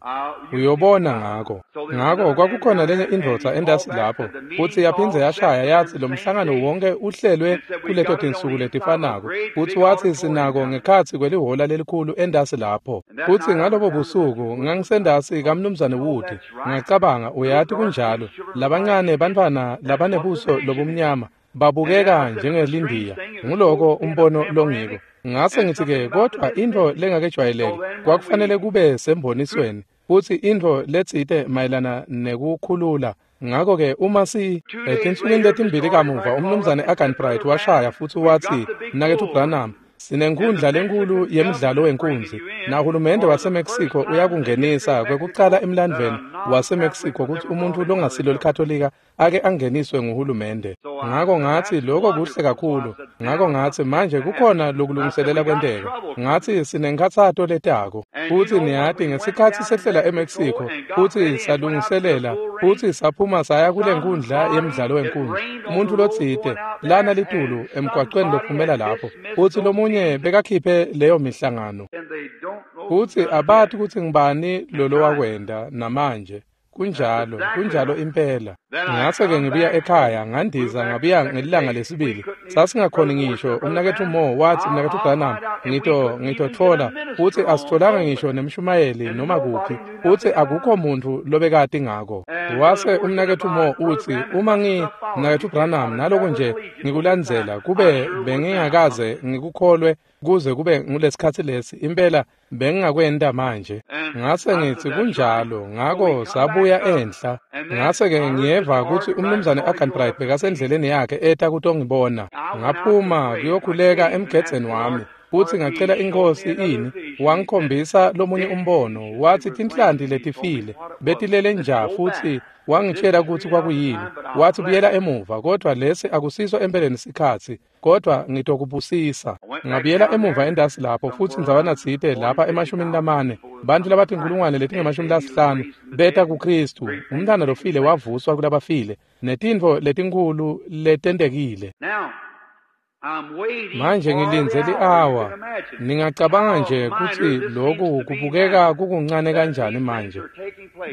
uyobona ngako." Ngako kwakukhona lenye indvodza entasi lapho, futsi yaphindze yashaya yatsi lo mhlangano wonke uhlelwe kuleto tinsuku letifanako, futsi watsi sinako ngekhatsi kwelihola lelikhulu entasi lapho. Futsi ngalobo busuku ngangisentasi kaMnumzane Wood, ngacabanga, uyati kunjalo, labancane bantfwana labanebuso lobumnyama babukeka njengelindiya, nguloko umbono longiko. Ngase ngitsi-ke, kodvwa intfo lengakejwayeleki kwakufanele kube sembonisweni, futsi intfo letsite mayelana nekukhulula. Ngako-ke uma si etinsukwini letimbili kamuva, umnumzane Aganbright washaya futsi watsi, "Mnaketfu Branham, sinenkhundla lenkhulu yemdlalo wenkunzi, nahulumende waseMexico uyakungenisa kwekucala emlandvweni waseMexico kutsi umuntfu longasilo likatolika ake angeniswe nguhulumende." Ngako ngathi, "Lokho kuhle kakhulu." Ngako ngathi, "Manje kukhona lokulungiselela kwenteka." Ngathi, "Sinenkhatsato letako." Futsi niyati ngesikhatsi sehlela eMexico futsi salungiselela futsi saphuma saya kule nkundla yemdlalo wenkunzi, umuntu lotsite lana litulu emgwaqweni lophumela lapho, futsi lomunye bekakhiphe leyo mihlangano, futsi abati kutsi ngibani lolowakwenda namanje. Kunjalo, kunjalo impela. Ngase-ke ngibuya ekhaya, ngandiza ngabuya ngelilanga lesibili. Sasingakhoni ngisho, umnaketfu Moore watsi, "Mnaketfu Branham, ngitotfola," futsi asitfolanga ngisho nemshumayeli noma kuphi, futsi akukho muntfu lobekati ngako. Wase umnaketfu Moore utsi, "Uma mnaketfu Branham, naloku nje ngikulandzela, kube bengingakaze ngikukholwe kuze kube ngulesikhatsi lesi, impela bengingakwenta manje." Ngase ngithi, "Kunjalo." Ngako sabuya enhla. Ngase-ke ngiyeva kutsi umnumzane Aganbright bekasendleleni yakhe eta kutongibona. Ngaphuma kuyokhuleka emgedzeni wami, futsi ngacela inkosi ini, wangikhombisa lomunye umbono, watsi tinhlanti letifile betilele nja, futsi wangitshela kutsi kwakuyini. Watsi, "Buyela emuva, kodvwa lesi akusiso empeleni sikhatsi, kodvwa ngitokubusisa." Ngabuyela emuva entasi lapho, futsi ndzawana tsite lapha e-40, bantfu labatinkhulungwane letingama-50 beta kuKhristu. Umntwana lofile wavuswa kulabafile, netintfo letinkhulu letentekile. Manje ngilindze li-awa. Ningacabanga nje kutsi loku kubukeka kukuncane kanjani manje,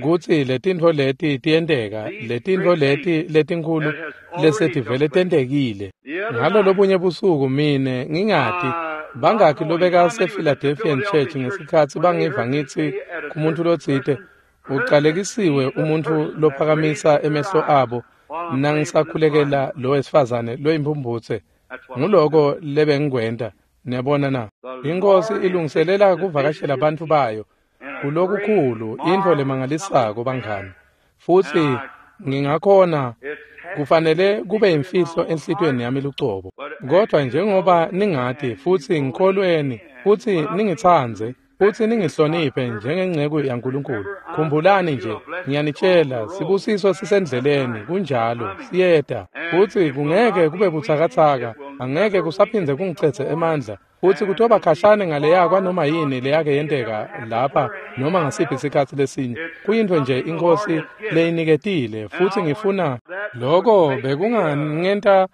kutsi letintfo leti tiyenteka, letintfo leti letinkhulu lesetivele tentekile. Ngalolobunye busuku mine ngingati bangakhi lobekase-Philadelphian Church ngesikhatsi bangiva ngitsi kumuntu lotsite, "Ucalekisiwe umuntfu lophakamisa emehlo abo nangisakhulekela lo wesifazane loyimphumputse." Nguloko lebengikwenta, niyabona na? Inkosi ilungiselela kuvakashela bantfu bayo kulokukhulu, intfo lemangalisako bangani. Futsi ngingakhona, kufanele kube imfihlo enhlitiyweni yami lucobo. Kodvwa njengoba ningati futsi ngikholweni, futsi ningitsandze, futsi ningihloniphe njengenceku yaNkulunkulu, khumbulani nje, ngiyanitshela, sibusiso sisendleleni, kunjalo, siyeta. Futsi kungeke kube butsakatsaka, angeke kusaphindze kungicedze emandla, futsi kutoba khashane ngaleya kwanoma yini leyake yenteka lapha noma ngasiphi isikhatsi lesinye. Kuyintfo nje inkosi leyiniketile, futsi ngifuna loko bekungangenta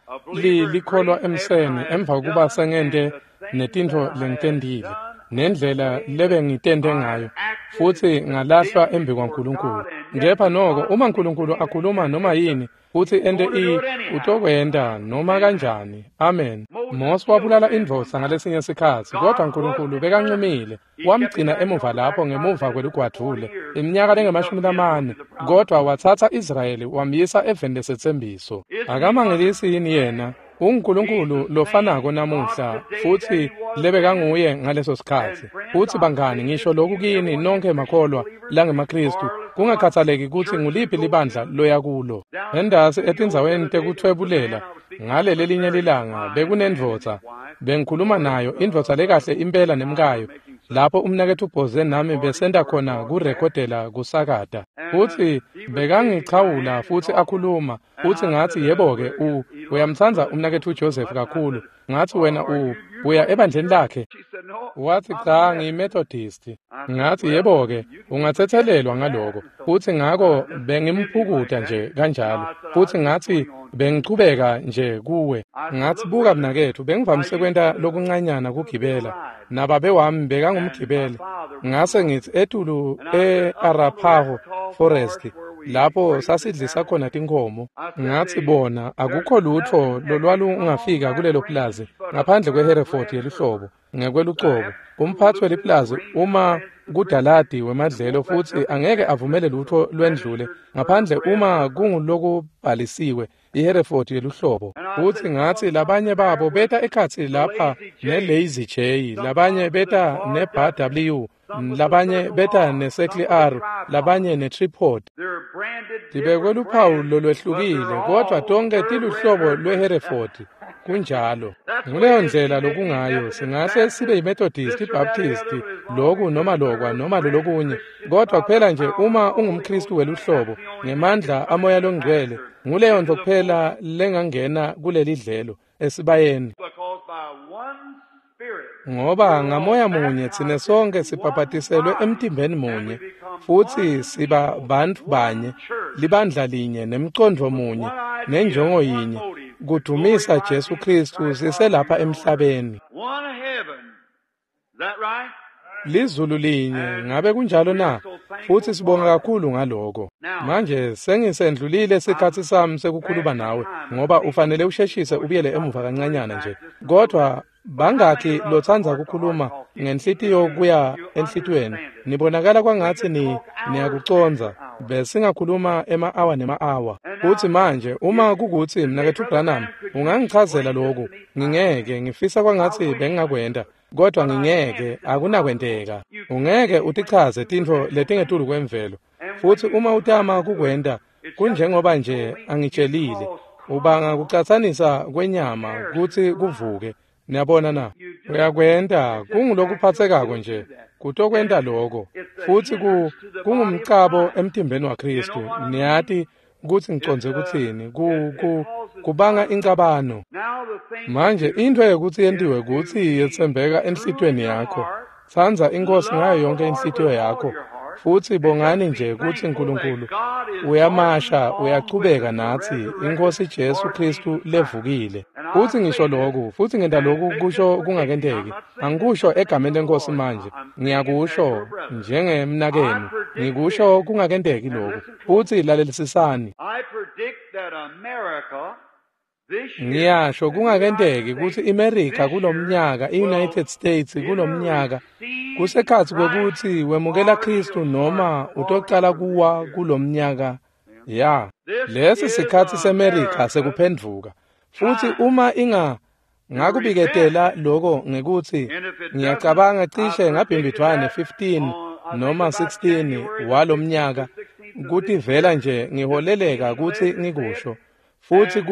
likholwa emseni emva kokuba sengente netintfo lengitentile, nendlela lebengitente ngayo, futsi ngalahlwa embi kwaNkulunkulu. Kepha noko uma Nkulunkulu akhuluma noma yini futsi ente utokwenta noma kanjani. Amen. Mose wabulala indvodza ngalesinye sikhatsi, kodvwa Nkulunkulu bekancumile, wamgcina emuva lapho ngemuva kwelugwadvule iminyaka lengama-40, kodvwa watsatsa Israyeli wamyisa eveni lesetsembiso. Akamangelisi yini yena? UnguNkulunkulu lofanako namuhla futsi lebekanguye ngaleso sikhatsi. Futsi bangani, ngisho lokhu kini nonkhe makholwa langemaKhristu, kungakhathaleki kutsi nguliphi libandla loya kulo. Entasi etindzaweni tekuthwebulela ngalelelinye lilanga bekunendvodza, bengikhuluma nayo, indvodza lekahle impela nemkayo. lapho umnaketfu Boze nami besenta khona kurekhodela kusakata. Futsi bekangichawula futsi akhuluma, futsi ngatsi, yebo-ke, uyamtsandza umnaketfu Joseph kakhulu. Ngatsi, wena uya ebandleni lakhe? Watsi, cha, ngiyiMethodist. Ngatsi, yebo-ke, ungatsetselelwa ngaloko. Futsi ngako bengimphukuta nje kanjalo. Futsi ngatsi, bengichubeka nje kuwe. Ngatsi, buka mnaketfu, bengivamise kwenta lokuncanyana kugibela. Nababe wami bekangumgibeli. Ngase ngitsi etulu e-Arapaho Forest, lapho sasidlisa khona tinkhomo. Ngatsi, bona, akukho lutfo lolwalungafika kulelo plazi ngaphandle kweHereford yeluhlobo ngekwelucobo. Umphatsi weliplazi uma kudaladi wemadlelo futsi angeke avumele lutfo lwendlule ngaphandle uma kungulokubhalisiwe iHereford yeluhlobo. Futsi ngatsi labanye babo beta ekhatsi lapha ne-Lazy J, labanye beta ne-Bar W, labanye beta ne-Circle R, labanye ne-Tripod. Tibekwe luphawu lolwehlukile, kodvwa tonkhe tiluhlobo lweHereford. Kunjalo. Nguleyo ndlela lokungayo. Singahle sibe yiMethodist, iBaptist, loku noma lokwa noma lolokunye, kodvwa kuphela nje uma ungumKhristu weluhlobo ngemandla amoya longcwele, nguleyo nto kuphela lengangena kulelidlelo esibayeni. Ngoba ngamoya munye tsine sonke sibhabhatiselwe emtimbeni munye, futsi siba bantfu banye, libandla linye, nemcondvo munye, nenjongo yinye, kudumisa Jesu Khristu siselapha emhlabeni. Lizulu linye, ngabe kunjalo na? Futsi sibonga kakhulu ngaloko. Manje sengisendlulile sikhatsi sami sekukhuluma nawe, ngoba ufanele usheshise ubuyele emuva kancanyana nje. Kodwa bangakhi lotsandza kukhuluma ngenhlitiyo kuya enhlitiyweni? Nibonakala kwangatsi niyakucondza. Besingakhuluma ema-awa nema-awa. Futsi manje uma kukutsi mnaketfu Branham ungangichazela loku, ngingeke, ngifisa kwangatsi bengingakwenta, kodwa ngingeke, akunakwenteka. Ungeke utichaze tintfo letingetulu kwemvelo. Futsi uma utama kukwenta, kunjengoba nje angitshelile, ubanga kucatsanisa kwenyama kutsi kuvuke. Niyabona na? Uyakwenta, kungulokuphatsekako nje, kutokwenta loko. Futsi kungumcabo emtimbeni waKhristu. Niyati kutsi ngicondze kutsini, kubanga incabano. Manje intfo yekutsi yentiwe kutsi yetsembeka enhlitiyweni yakho. Tsandza iNkhosi ngayo yonke inhlitiyo yakho. Futsi bongani nje kutsi Nkulunkulu uyamasha, uyachubeka natsi, iNkhosi Jesu Khristu levukile. Futsi ngisho loku, futsi ngenta loku kusho kungakenteki. Angikusho egameni leNkhosi manje, ngiyakusho njengemnakenu, ngikusho kungakenteki loku. Futsi lalelisisani. Ngiyasho kungakenteki kutsi iMerica kulomnyaka, iUnited States kulomnyaka, kusekhatsi kwekutsi wemukela Khristu noma utocala kuwa kulomnyaka. Ya, lesi sikhatsi seMerica sekuphendvuka. Futsi uma ngakubiketela loko ngekutsi ngiyacabanga cishe ngabhimbidvwane 15 noma 16 walomnyaka, kutivela nje ngiholeleka kutsi ngikusho. Futsi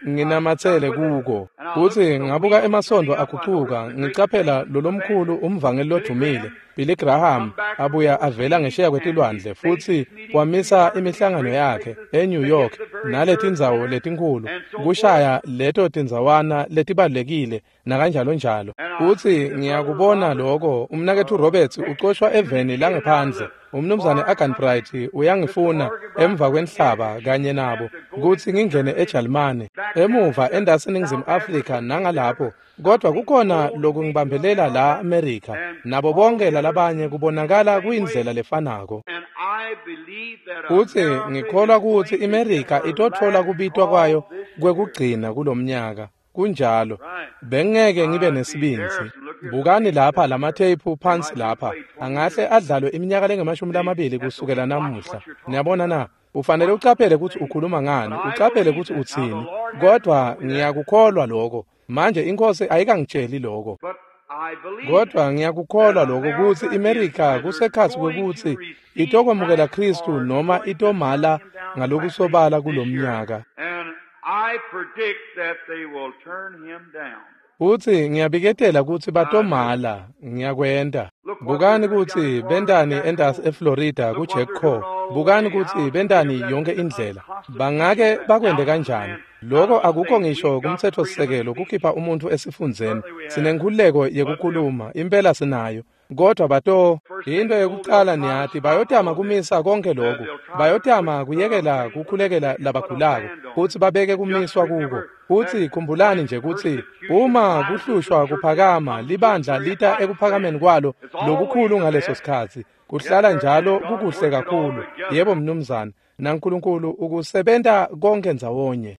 nginamatsele kuko. Futsi ngabuka emasondo agucuka, ngicaphela lolomkhulu umvangeli lodumile Billy Graham abuya avela ngesheya kwetilwandle, futsi wamisa imihlangano yakhe eNew York naletindzawo letinkhulu, kushaya leto tindzawana letibalulekile nakanjalo njalo. Futsi ngiyakubona loko, umnaketfu Roberts ucoshwa eveni langephandle, umnumzane Arganbright uyangifuna emva kwenhlaba kanye nabo kutsi ngingene eJalimane, emuva endasi Ningizimu Afrika nangalapho, kodwa kukhona lokungibambelela la America nabo bonke lalabanye kubonakala kuyindlela lefanako. Futsi ngikholwa kutsi iMerica itotfola kubitwa kwayo kwekugcina kulomnyaka. Kunjalo, bengeke ngibe nesibindzi. Bukani lapha lamatheyiphu phansi lapha, angahle adlalwe iminyaka lengamashumi kusukela namuhla. Niyabona na? Ufanele ucaphele kutsi ukhuluma ngani, ucaphele kutsi utsini. Kodwa ngiyakukholwa lokho. Manje iNkhosi ayikangitsheli lokho. Kodwa ngiyakukholwa lokho kutsi iMerica kusekhatsi kwekutsi itokwemukela Khristu noma itomala ngalokusobala kulomnyaka. Utsi ngiyabiketela kutsi batomala, ngiyakwenta. Bukani kutsi bentani entasi eFlorida kuJack Coe. Bukani kutsi bentani yonke indlela. Bangake bakwente kanjani? Lokho akukho ngisho kumtsetfosisekelo kukhipha umuntfu esifundzeni. Sinenkhululeko yekukhuluma, impela sinayo. Kodwa bato into yekucala niyati bayotama kumisa konke lokhu. Bayotama kuyekela kukhulekela labagulako kutsi babeke kumiswa kuko. Futsi khumbulani nje kutsi uma kuhlushwa kuphakama libandla lita ekuphakameni kwalo lokukhulu ngaleso sikhatsi. Kuhlala njalo kukuhle kakhulu. Yebo mnumzane, naNkulunkulu ukusebenta konke ndzawonye.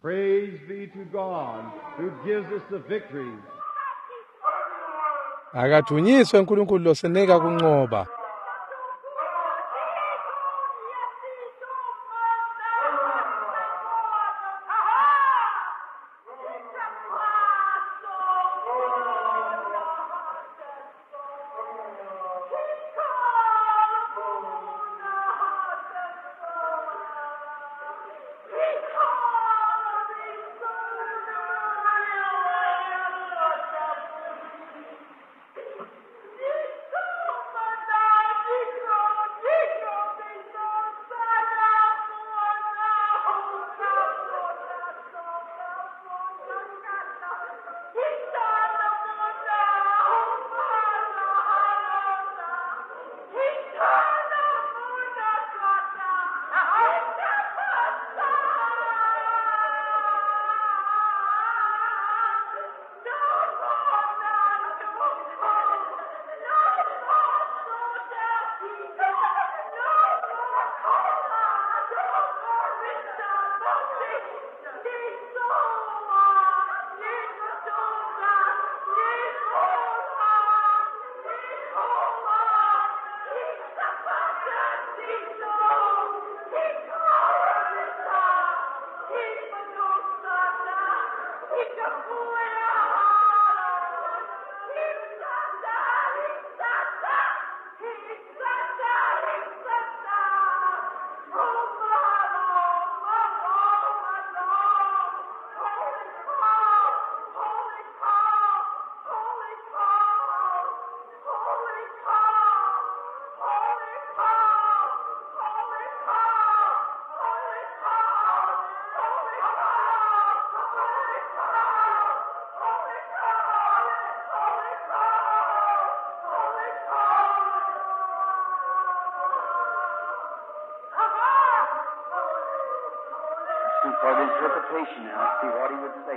Praise be to God who gives us the victory. Akadunyiswe uNkulunkulu losinika kunqoba.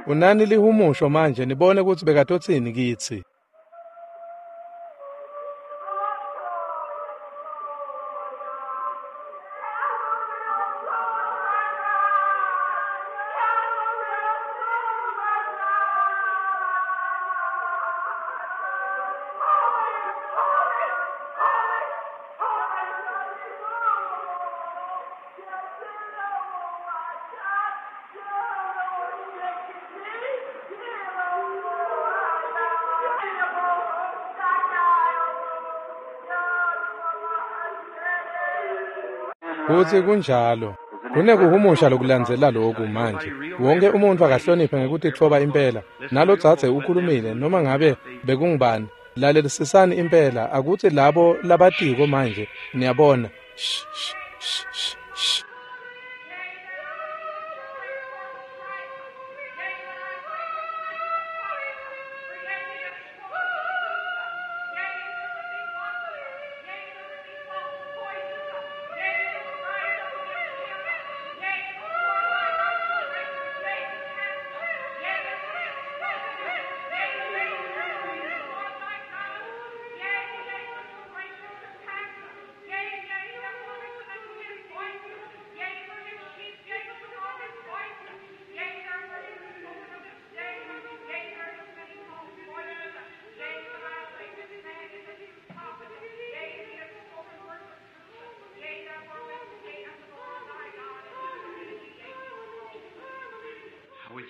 Unani lihumusho manje nibone kutsi bekatotsini kitsi. Kutsi kunjalo. Kunekuhumusha lokulandzela loku manje. Wonke umuntu akahloniphe ngekutitfoba impela. Nalodzadze ukhulumile noma ngabe bekungubani. Lalelisisani impela akutsi labo labatiko manje niyabona. Shh shh shh shh.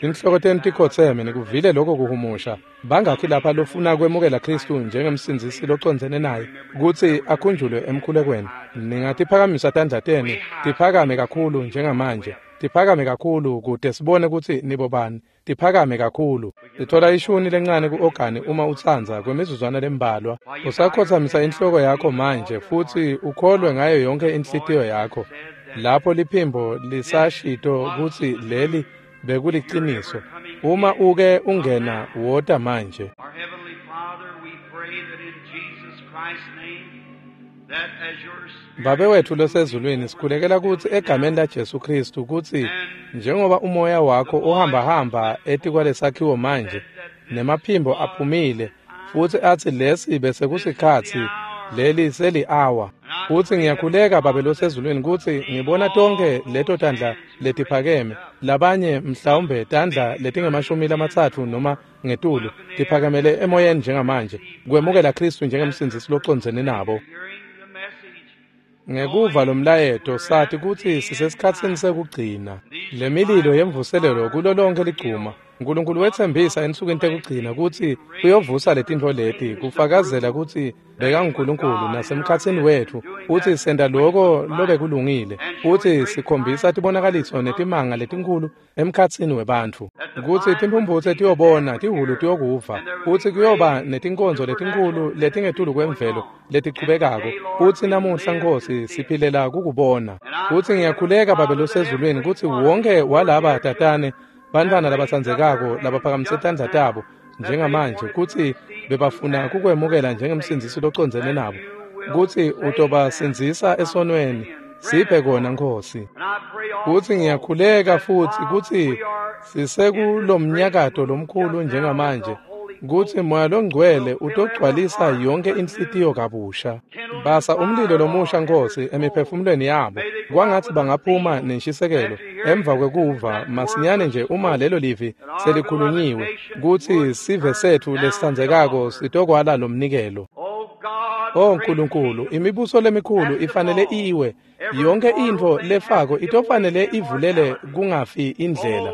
Tinhloko tenu tikhotseme, nikuvile lokho kuhumusha. Bangakhi lapha lofuna kwemukela Khristu njengemsindzisi locondzene naye kutsi akhunjulwe emkhulekweni? Ningatiphakamisa tandla tenu, tiphakame kakhulu njengamanje. Tiphakame kakhulu kute sibone kutsi nibobani. Tiphakame kakhulu. Sithola ishuni lencane ku-ogani uma utsandza kwemizuzwana lembalwa. Usakhotsamisa inhloko yakho manje futsi ukholwe ngayo yonke inhlitiyo yakho. Lapho liphimbo lisashito kutsi leli bekuliciniso. Uma uke ungena, wota manje. Our Heavenly Father, we pray that in Jesus Christ's name, that as your Spirit Babe wethu losezulwini, sikhulekela kutsi egameni laJesu Khristu kutsi njengoba umoya wakho uhambahamba etikwalesakhiwo manje, nemaphimbo aphumile futsi atsi lesi bese kusikhatsi, leli seli-awa. Futsi ngiyakhuleka Babe losezulwini kutsi ngibona tonkhe leto tandla letiphakeme, labanye mhlawumbe tandla letinge-30 noma ngetulu tiphakamele emoyeni njengamanje, kwemukela Khristu njengemsindzisi locondzene nabo. hearing the message, Ngekuva lomlayeto sati kutsi sisesikhatsini sekugcina. Lemililo yemvuselelo kulo lonke ligcuma. Nkulunkulu wetsembisa ensukwini tekugcina kutsi uyovusa letintfo leti kufakazela kutsi bekanguNkulunkulu nasemkhatsini wetfu, futsi senta loko lobekulungile, futsi sikhombisa tibonakaliso netimanga letinkhulu emkhatsini webantfu, kutsi timphumphutse tiyobona, tihhulu tiyokuva, futsi kuyoba netinkonzo letinkhulu letingetulu kwemvelo letichubekako. Futsi namuhla Nkhosi siphilela kukubona. Futsi ngiyakhuleka Babe losezulwini kutsi wonke walaba tatane bantfwana labatsandzekako labaphakamise tandla tabo njengamanje kutsi bebafuna kukwemukela njengemsindzisi locondzene nabo, kutsi utobasindzisa esonweni. Siphe kona Nkhosi. and I pray Futsi ngiyakhuleka futsi kutsi we are sisekulomnyakato lomkhulu njengamanje, kutsi Moya loNgcwele utogcwalisa yonke inhlitiyo kabusha. Basa umlilo lomusha Nkhosi emiphefumulweni yabo, kwangatsi bangaphuma nenshisekelo emva kwekuva masinyane nje uma lelo livi selikhulunyiwe, kutsi sive setfu lesitsandzekako sitokwala lomnikelo. Oh God, O Nkulunkulu, imibuso lemikhulu ifanele iwe. Yonke intfo lefako itofanele ivulele kungafi indlela.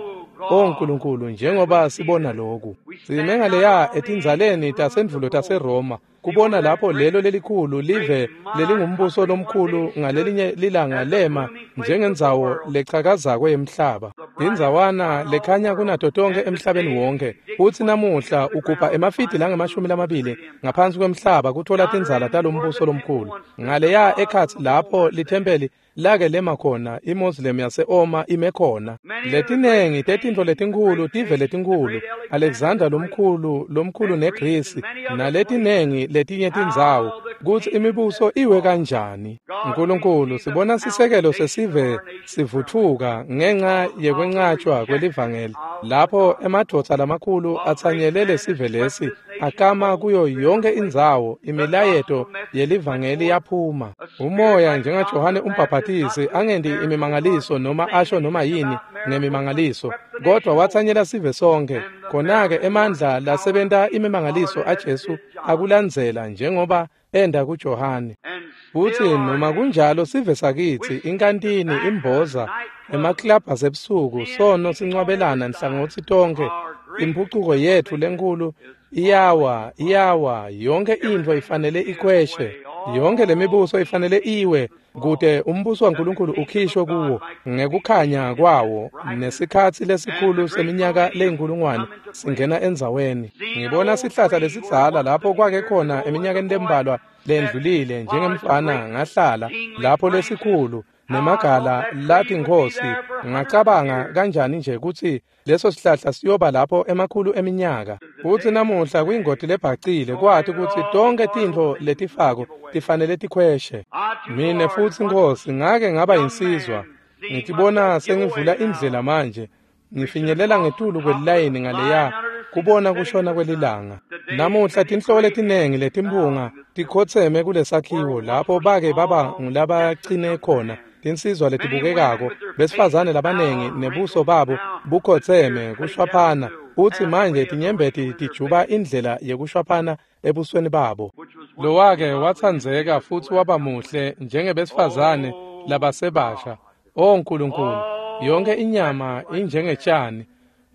O Nkulunkulu, njengoba sibona lokhu, sime ngaleya etindzaleni tasendvulo taseRoma, kubona lapho lelo lelikhulu live lelingumbuso lomkhulu ngalelinye lilanga lema njengendzawo lechakazako yemhlaba, indzawana lekhanya kunato tonkhe emhlabeni wonke. Futsi namuhla ugubha emafidi langama-20 ngaphansi kwemhlaba kuthola tindzala talombuso lomkhulu. Ngaleya ekhatsi lapho lithempeli lake lema khona, iMoslem yase-Oma ime khona. Letinengi tetintfo letinkhulu, tive letinkhulu, Alexander lomkhulu, lomkhulu neGrisi, naletinengi letinye tindzawo, kutsi imibuso iwe kanjani. Nkulunkulu, sibona sisekelo sesive sivutfuka ngenxa yekwencatshwa kwelivangeli, lapho emadvodza lamakhulu atsanyele lesive lesi akama kuyo yonke indzawo, imilayeto yelivangeli yaphuma. Umoya njengaJohane umbhaphatisi angendi imimangaliso noma asho noma yini ngemimangaliso, kodwa watsanyela sive sonke. Khona-ke emandla lasebenta imimangaliso aJesu akulandzela njengoba enda kuJohane. and Futsi still noma kunjalo sive sakitsi, inkantini, imboza, emaklabhu asebusuku, sono sincwabelana nhlangothi tonkhe, imphucuko yetfu lenkhulu iyawa, iyawa, yonke intfo ifanele ikhweshe. Yonke lemibuso ifanele iwe kute umbuso waNkulunkulu ukhishwe kuwo ngekukhanya kwawo, nesikhatsi lesikhulu seminyaka leyinkulungwane singena endzaweni. Ngibona sihlahla lesidzala lapho kwake khona eminyakeni lembalwa lendlulile njengemfana ngahlala lapho lesikhulu nemagala lathi Nkhosi, ngacabanga kanjani nje kutsi leso sihlahla siyoba lapho emakhulu eminyaka. Futsi namuhla kuyingoti lebhacile kwati kutsi tonkhe tintfo letifako tifanele tikhweshe. Mine futsi Nkhosi ngake ngaba yinsizwa, ngitibona sengivula indlela manje, ngifinyelela ngetulu kwelilayini ngaleya kubona kushona kwelilanga. Namuhla tinhloko letinengi letimphunga tikhotseme kulesakhiwo lapho bake baba ngulabacine khona tinsizwa letibukekako, besifazane labanengi nebuso babo bukhotseme kushwaphana, futsi manje tinyembeti tijuba indlela yekushwaphana ebusweni babo. Lowake watsandzeka futsi waba muhle njengebesifazane labasebasha. O Nkulunkulu, yonke inyama injengetshani,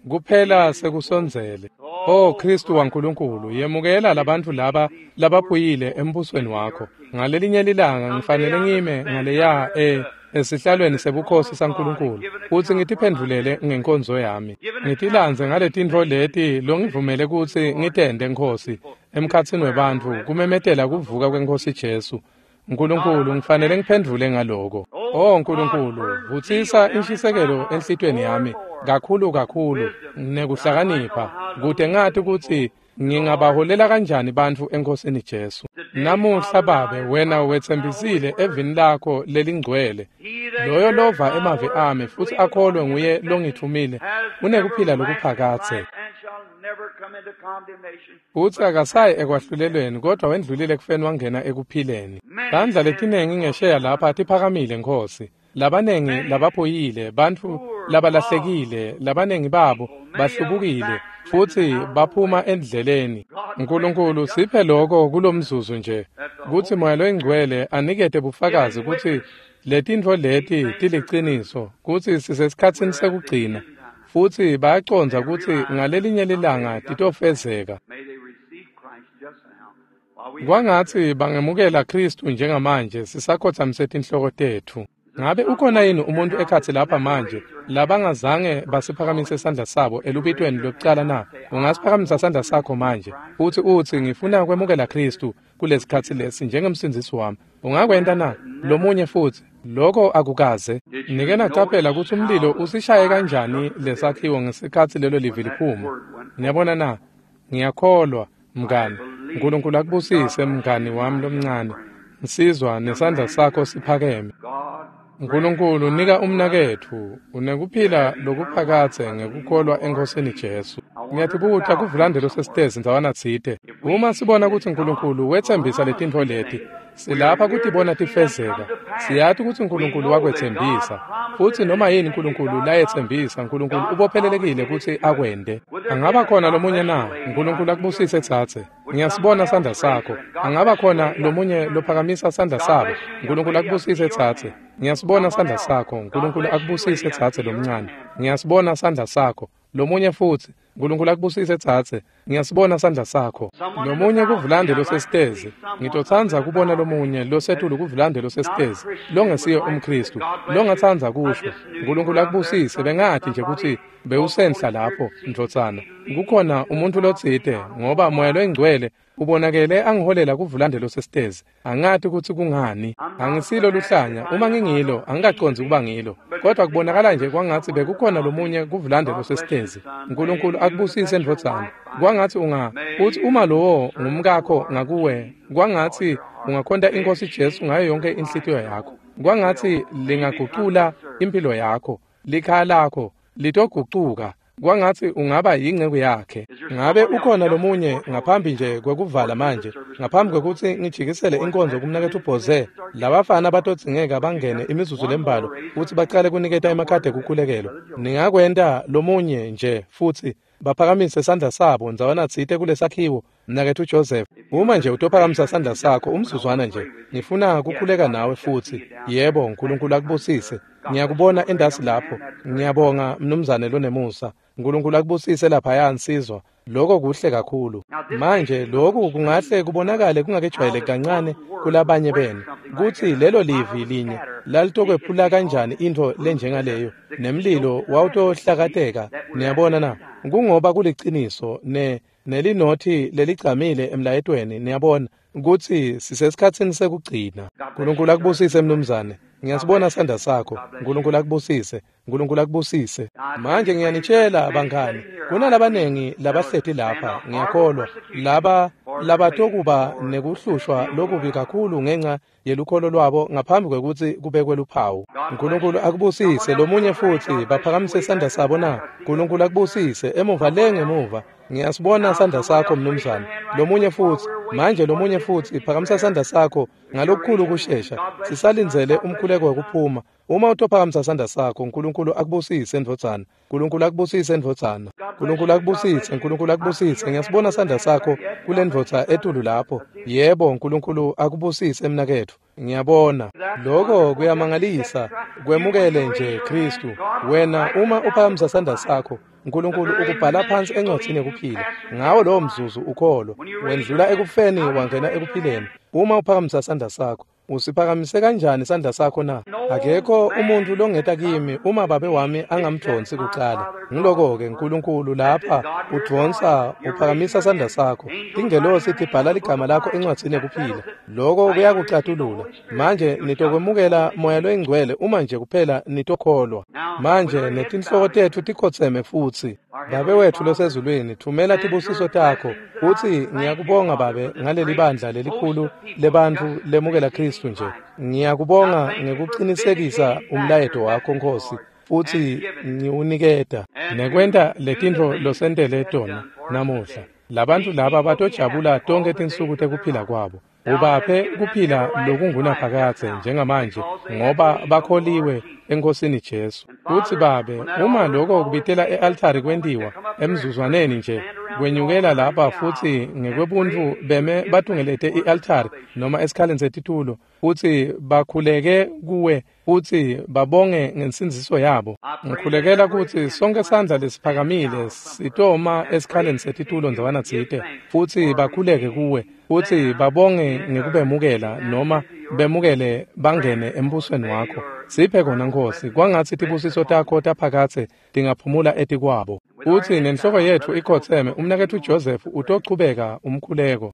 Kuphela sekusondzele. O Kristu waNkulunkulu, yemukela labantfu laba labaphuyile embusweni wakho. Ngalelinye lilanga ngifanele ngime ngaleya esihlalweni sebukhosi saNkulunkulu futsi ngitiphendvulele ngenkonzo yami. Ngitilandze ngaletintfo leti longivumele kutsi ngitente, Nkhosi, emkhatsini webantfu kumemetela kuvuka kweNkhosi Jesu. Nkulunkulu, ngifanele ngiphendvule ngaloko. O Nkulunkulu, vutsisa inshisekelo enhlitiyweni yami kakhulu kakhulu nekuhlakanipha kute ngati kutsi ngingabaholela kanjani bantfu eNkhosini Jesu. Namuhla Babe, wena wetsembisile evini lakho lelingcwele, loyo lova emavi ami futsi akholwe nguye longithumile unekuphila lokuphakadze. Futsi akasayi ekwahlulelweni kodwa wendlulile ekufeni wangena ekuphileni. Tandla letinengi ngesheya lapha tiphakamile, Nkhosi. Labanengi labaphuyile, bantfu labalahlekile, labanengi babo bahlubukile futsi baphuma endleleni. Nkulunkulu, siphe lokho kulomzuzu nje, kutsi Moya loyiNgcwele anikete bufakazi kutsi letintfo leti tiliciniso, kutsi sisesikhatsini sekugcina, futsi bayacondza kutsi ngalelinye lilanga titofezeka. Kwangatsi bangemukela Khristu njengamanje sisakhotsamise tinhloko tetfu. Ngabe ukhona yini umuntu ekhatsi lapha manje labangazange basiphakamise sandla sabo elubitweni lwekucala na? Ungasiphakamisa sandla sakho manje futsi utsi, ngifuna kwemukela Khristu kulesikhatsi lesi njengemsindzisi wami. Ungakwenta na? Lomunye futsi. Lokho akukaze. Nike nacaphela kutsi umlilo usishaye kanjani lesakhiwo ngesikhatsi lelo livi liphuma. Niyabona na? Ngiyakholwa, mngani. Nkulunkulu akubusise, mngani wami lomncane. Nsizwa, nesandla sakho siphakeme. Nkulunkulu, nika umnaketfu unekuphila lokuphakadze ngekukholwa eNkhosini Jesu. Ngiyatibuta kuvulande losesitezi ndzawana tsite. Uma sibona kutsi Nkulunkulu wetsembisa letintfo leti, silapha kutibona tifezeka. Siyati kutsi Nkulunkulu wakwetsembisa. Futsi noma yini Nkulunkulu layetsembisa, Nkulunkulu ubophelelekile kutsi akwente. Angaba khona lomunye na? Nkulunkulu akubusise tsatse. Ngiyasibona sandla sakho. Angaba khona lomunye lophakamisa sandla sabo. Nkulunkulu akubusise tsatse. Ngiyasibona sandla sakho. Nkulunkulu akubusise tsatse lomncane. Ngiyasibona sandla sakho. Lomunye futsi. Nkulunkulu akubusise tsatse. Ngiyasibona sandla sakho. Lomunye kuvulande losesitezi. Ngitotsandza kubona lomunye losetulu kuvulande losesitezi, longesiye umKhristu, longatsandza kusho. Nkulunkulu akubusise. Bengathi nje kutsi bewusenhla lapho, ndvodzana. Kukhona umuntu lotsite, ngoba Moya loyiNgcwele ubonakele angiholela kuvulande losesitezi. Angati kutsi kungani. Angisilo luhlanya. Uma ngingilo, angikacondzi kuba ngilo. Kodwa kubonakala nje kwangatsi bekukhona lomunye kuvulande losesitezi. Nkulunkulu akubusise, ndvodzana. Kwangatsi utsi uma lowo ngumkakho ngakuwe, kwangatsi ungakhonta iNkhosi Jesu ngayo yonke inhlitiyo yakho. Kwangatsi lingagucula impilo yakho, likhaya lakho litogucuka. Kwangatsi ungaba yinceku yakhe. Ngabe ukhona lomunye ngaphambi nje kwekuvala manje, ngaphambi kwekutsi ngijikisele inkonzo kumnaketfu Bhoze? Labafana batodzingeka bangene imizuzu lembalwa futsi bacale kuniketa emakhadi ekukhulekelwa. Ningakwenta lomunye nje futsi baphakamise sandla sabo ndzawana tsite kulesakhiwo, mnaketfu Joseph. Uma nje utophakamisa sandla sakho umzuzwana nje, ngifuna kukhuleka nawe futsi. Yebo, Nkulunkulu akubusise. Ngiyakubona endasi lapho. Ngiyabonga, mnumzane lonemusa. Nkulunkulu akubusise laphaya, nsizwa. Lokho kuhle kakhulu. Manje lokhu kungahle kubonakale kungakejwayeleki kancane kulabanye benu, kutsi lelo livi linye lalitokwephula kanjani intfo lenjengaleyo, nemlilo wawutohlakateka. Niyabona na? Kungoba kuliciniso nelinothi leligcamile emlayetweni. Niyabona kutsi sisesikhatsini sekugcina. Nkulunkulu akubusise, mnumzane. Ngiyasibona sandla sakho. Nkulunkulu akubusise. Nkulunkulu akubusise. Manje ngiyanitshela bangani, kunalabanengi labahleti lapha, ngiyakholwa, laba labatokuba nekuhlushwa lokubi kakhulu ngenca yelukholo lwabo ngaphambi kwekutsi kubekwe luphawu. Nkulunkulu akubusise. Lomunye futsi baphakamise sandla sabo na? Nkulunkulu akubusise. Emuva le ngemuva. Ngiyasibona sandla sakho, mnumzane. Lomunye futsi. Manje lomunye futsi phakamisa sandla sakho ngalokukhulu kushesha. Sisalindzele umkhuleko wekuphuma. Uma utophakamisa sandla sakho, Nkulunkulu akubusise, ndvodzana. Nkulunkulu akubusise, ndvodzana. Nkulunkulu akubusise, Nkulunkulu akubusise. Ngiyasibona sandla sakho kulendvodza etulu lapho. Yebo, Nkulunkulu akubusise, mnaketfu. Ngiyabona. Lokho kuyamangalisa. Kwemukele nje Khristu. Wena uma uphakamisa sandla sakho, Nkulunkulu ukubhala phansi encwadzini yekuphila. Ngawo lowo mzuzu ukholwa, wendlula ekufeni wangena ekuphileni. Uma uphakamisa sandla sakho, usiphakamise kanjani sandla sakho na? Akekho umuntu longeta kimi uma Babe wami angamdvonsi kucala. Ngiloko-ke Nkulunkulu lapha udvonsa, uphakamisa sandla sakho. Tingelosi tibhala ligama lakho encwadzini yekuphila. Loko kuyakucatulula. Manje nitokwemukela Moya loyiNgcwele uma nje kuphela nitokholwa. Manje netinhloko tetfu tikhotseme futsi. Babe wetfu losezulwini, thumela tibusiso takho. Futsi ngiyakubonga Babe ngaleli bandla lelikhulu lebantfu lemukela Khristu nje. Ngiyakubonga ngekucinisekisa umlayeto wakho Nkhosi, futsi ngiwuniketa nekwenta letintfo losentele tona namuhla. Labantfu laba batojabula tonkhe tinsuku tekuphila kwabo. Ubaphe kuphila lokungunaphakadze njengamanje, ngoba bakholiwe eNkhosini Jesu. Futsi Babe, uma loko kubitela e-altari kwentiwa emzuzwaneni nje, kwenyukela lapha futsi ngekwebuntfu beme batungelete i-altari noma esikhaleni setitulo, futsi bakhuleke kuwe futsi babonge ngensindziso yabo. Ngikhulekela kutsi sonke sandla lesiphakamile sitoma esikhaleni setitulo ndzawana tsite, futsi bakhuleke kuwe, futsi babonge ngekubemukela noma bemukele bangene embusweni wakho. Siphe kona Nkhosi, kwangatsi tibusiso takho taphakadze tingaphumula etikwabo. Futsi nenhloko yetfu ikhotseme, umnaketfu Joseph utochubeka umkhuleko.